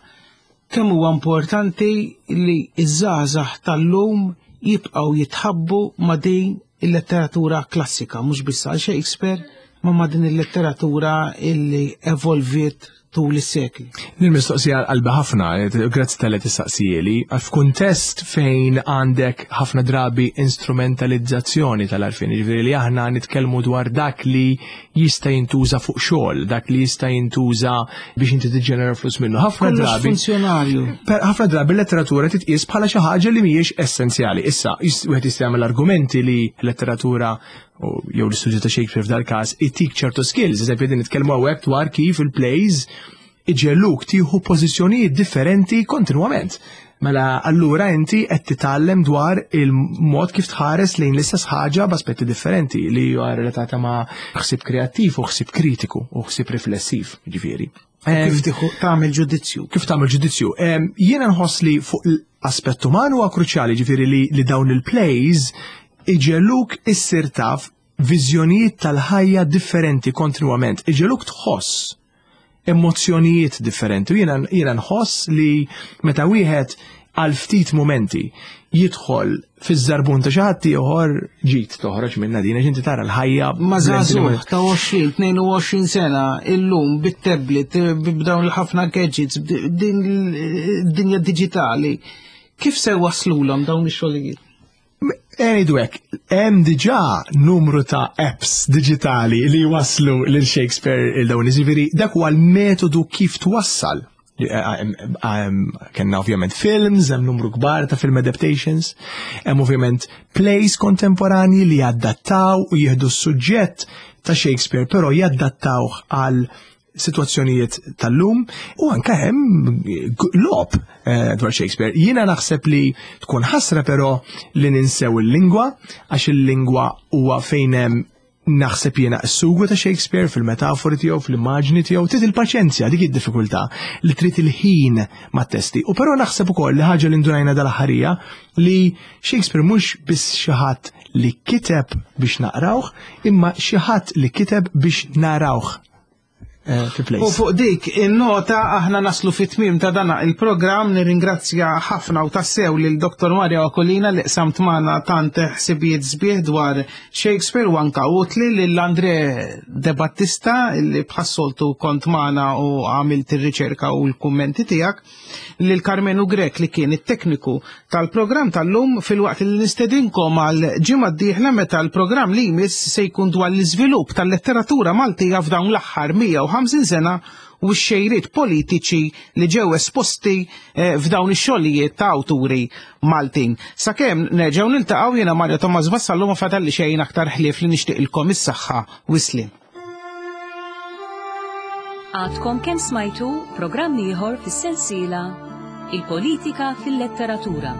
Kemm huwa importanti li iż-żgħażagħ tal-lum jibqgħu jitħabbu ma' din il-letteratura klassika, mhux biss għal Shakespeare, ma ma' din il-letteratura illi evolviet tul is-sekli? Din mistoqsija qalbi ħafna, grazzi talli tistaqsihieli, f'kuntest fejn għandek ħafna drabi instrumentalizzazzjoni tal-għarfien, ġifieri li aħna nitkellmu dwar dak li jista' jintuża fuq xogħol, dak li jista' jintuża biex inti tiġġenera flus minnu. Ħafna drabi funzjonarju. Ħafna drabi l-letteratura titqies bħala xi ħaġa li mhijiex essenzjali. Issa, wieħed jista' jagħmel argumenti li l-letteratura jew l-istudju ta' Shakespeare f'dal każ itik ċertu skills, eżempju din nitkellmu hawnhekk dwar kif il-plays iġegħluk tieħu pożizzjonijiet differenti kontinwament. Mela allura inti qed titgħallem dwar il-mod kif tħares lejn l-istess ħaġa b'aspetti differenti li huwa relatata ma' ħsieb kreattiv u ħsieb kritiku u ħsieb riflessiv, ġifieri. Kif tagħmel ġudizzju? Kif tagħmel ġudizzju? Jiena nħoss li fuq l-aspett uman huwa kruċjali, ġifieri li, li dawn il-plays iġegħluk issir taf viżjonijiet tal-ħajja differenti kontinwament, iġegħluk tħoss emozzjonijiet differenti. U jiena jiena nħoss li meta wieħed għal ftit momenti jidħol fiż-żarbun ta' xi ħadd ieħor, ġid toħroġ minna din, għax inti tara l-ħajja. Ma żagħżugħ ta' għoxrin, tnejn u għoxrin sena illum bit-tablet, b'dawn il-ħafna gadgets, din id-dinja diġitali, kif se waslulhom dawn ix-xogħlijiet? Ngħidu hekk, hemm diġà numru ta' apps digitali li waslu lil Shakespeare il dawn, ġifieri dak huwa l-metodu kif twassal. Kenna ovvjament films, hemm numru kbar ta' film adaptations, hemm ovvjament plays kontemporani li jaddattaw u jieħdu s-suġġett ta' Shakespeare, però jaddattawh għal situazzjonijiet tal-lum, u anka hemm logħob eh, dwar Shakespeare. Jiena naħseb li tkun ħasra però li ninsew il-lingwa, għax il-lingwa huwa fejn hemm, naħseb jiena, s-sugu ta' Shakespeare fil-metafori tiegħu, fil-immaġni tiegħu, trid il-paċenzja, dik id-diffikultà li trid il-ħin mat-testi. U però naħseb ukoll li ħaġa li ndunajna dal-aħħar hija li Shakespeare mhux biss xi ħadd li kiteb biex naqrawh, imma xi ħadd li kiteb biex narawh eh, fi plays. U fuq dik in-nota aħna naslu fit-tmiem ta' dana il-programm. Nirringrazzja ħafna u tassew lil Doktor Mario Aquilina li qsamt magħna tant ħsibijiet sbieħ dwar Shakespeare u anka utli, lil Andre De Battista li bħas-soltu kont magħna u għamilt ir-riċerka u l-kummenti tiegħek, lil Carmenu Grek li kien it-tekniku tal-programm tal-lum, filwaqt li nistedinkom għal ġimgħa d-dieħla meta l-programm li jmiss se jkun dwar l-iżvilupp tal-letteratura Maltija f'dawn l-aħħar mija u ħamsin sena u x-xejriet politiċi li ġew esposti eh, f'dawn ix-xogħlijiet ta' awturi Maltin. Sakemm nerġgħu niltaqgħu, jiena Mario Thomas Vassallo ma fadalli xejn aktar ħlief li nixtieqilkom is-saħħa u s-sliem. Għadkom kemm smajtu programm ieħor fis-sensiela Il-Politika fil-Letteratura.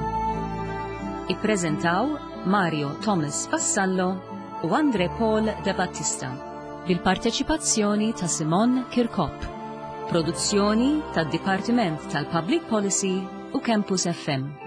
Ippreżentaw Mario Thomas Vassallo u Andre Paul De Battista bil-parteċipazzjoni ta' Simon Kirkop. Produzzjoni tad-Dipartiment tal-Public Policy u Campus F M.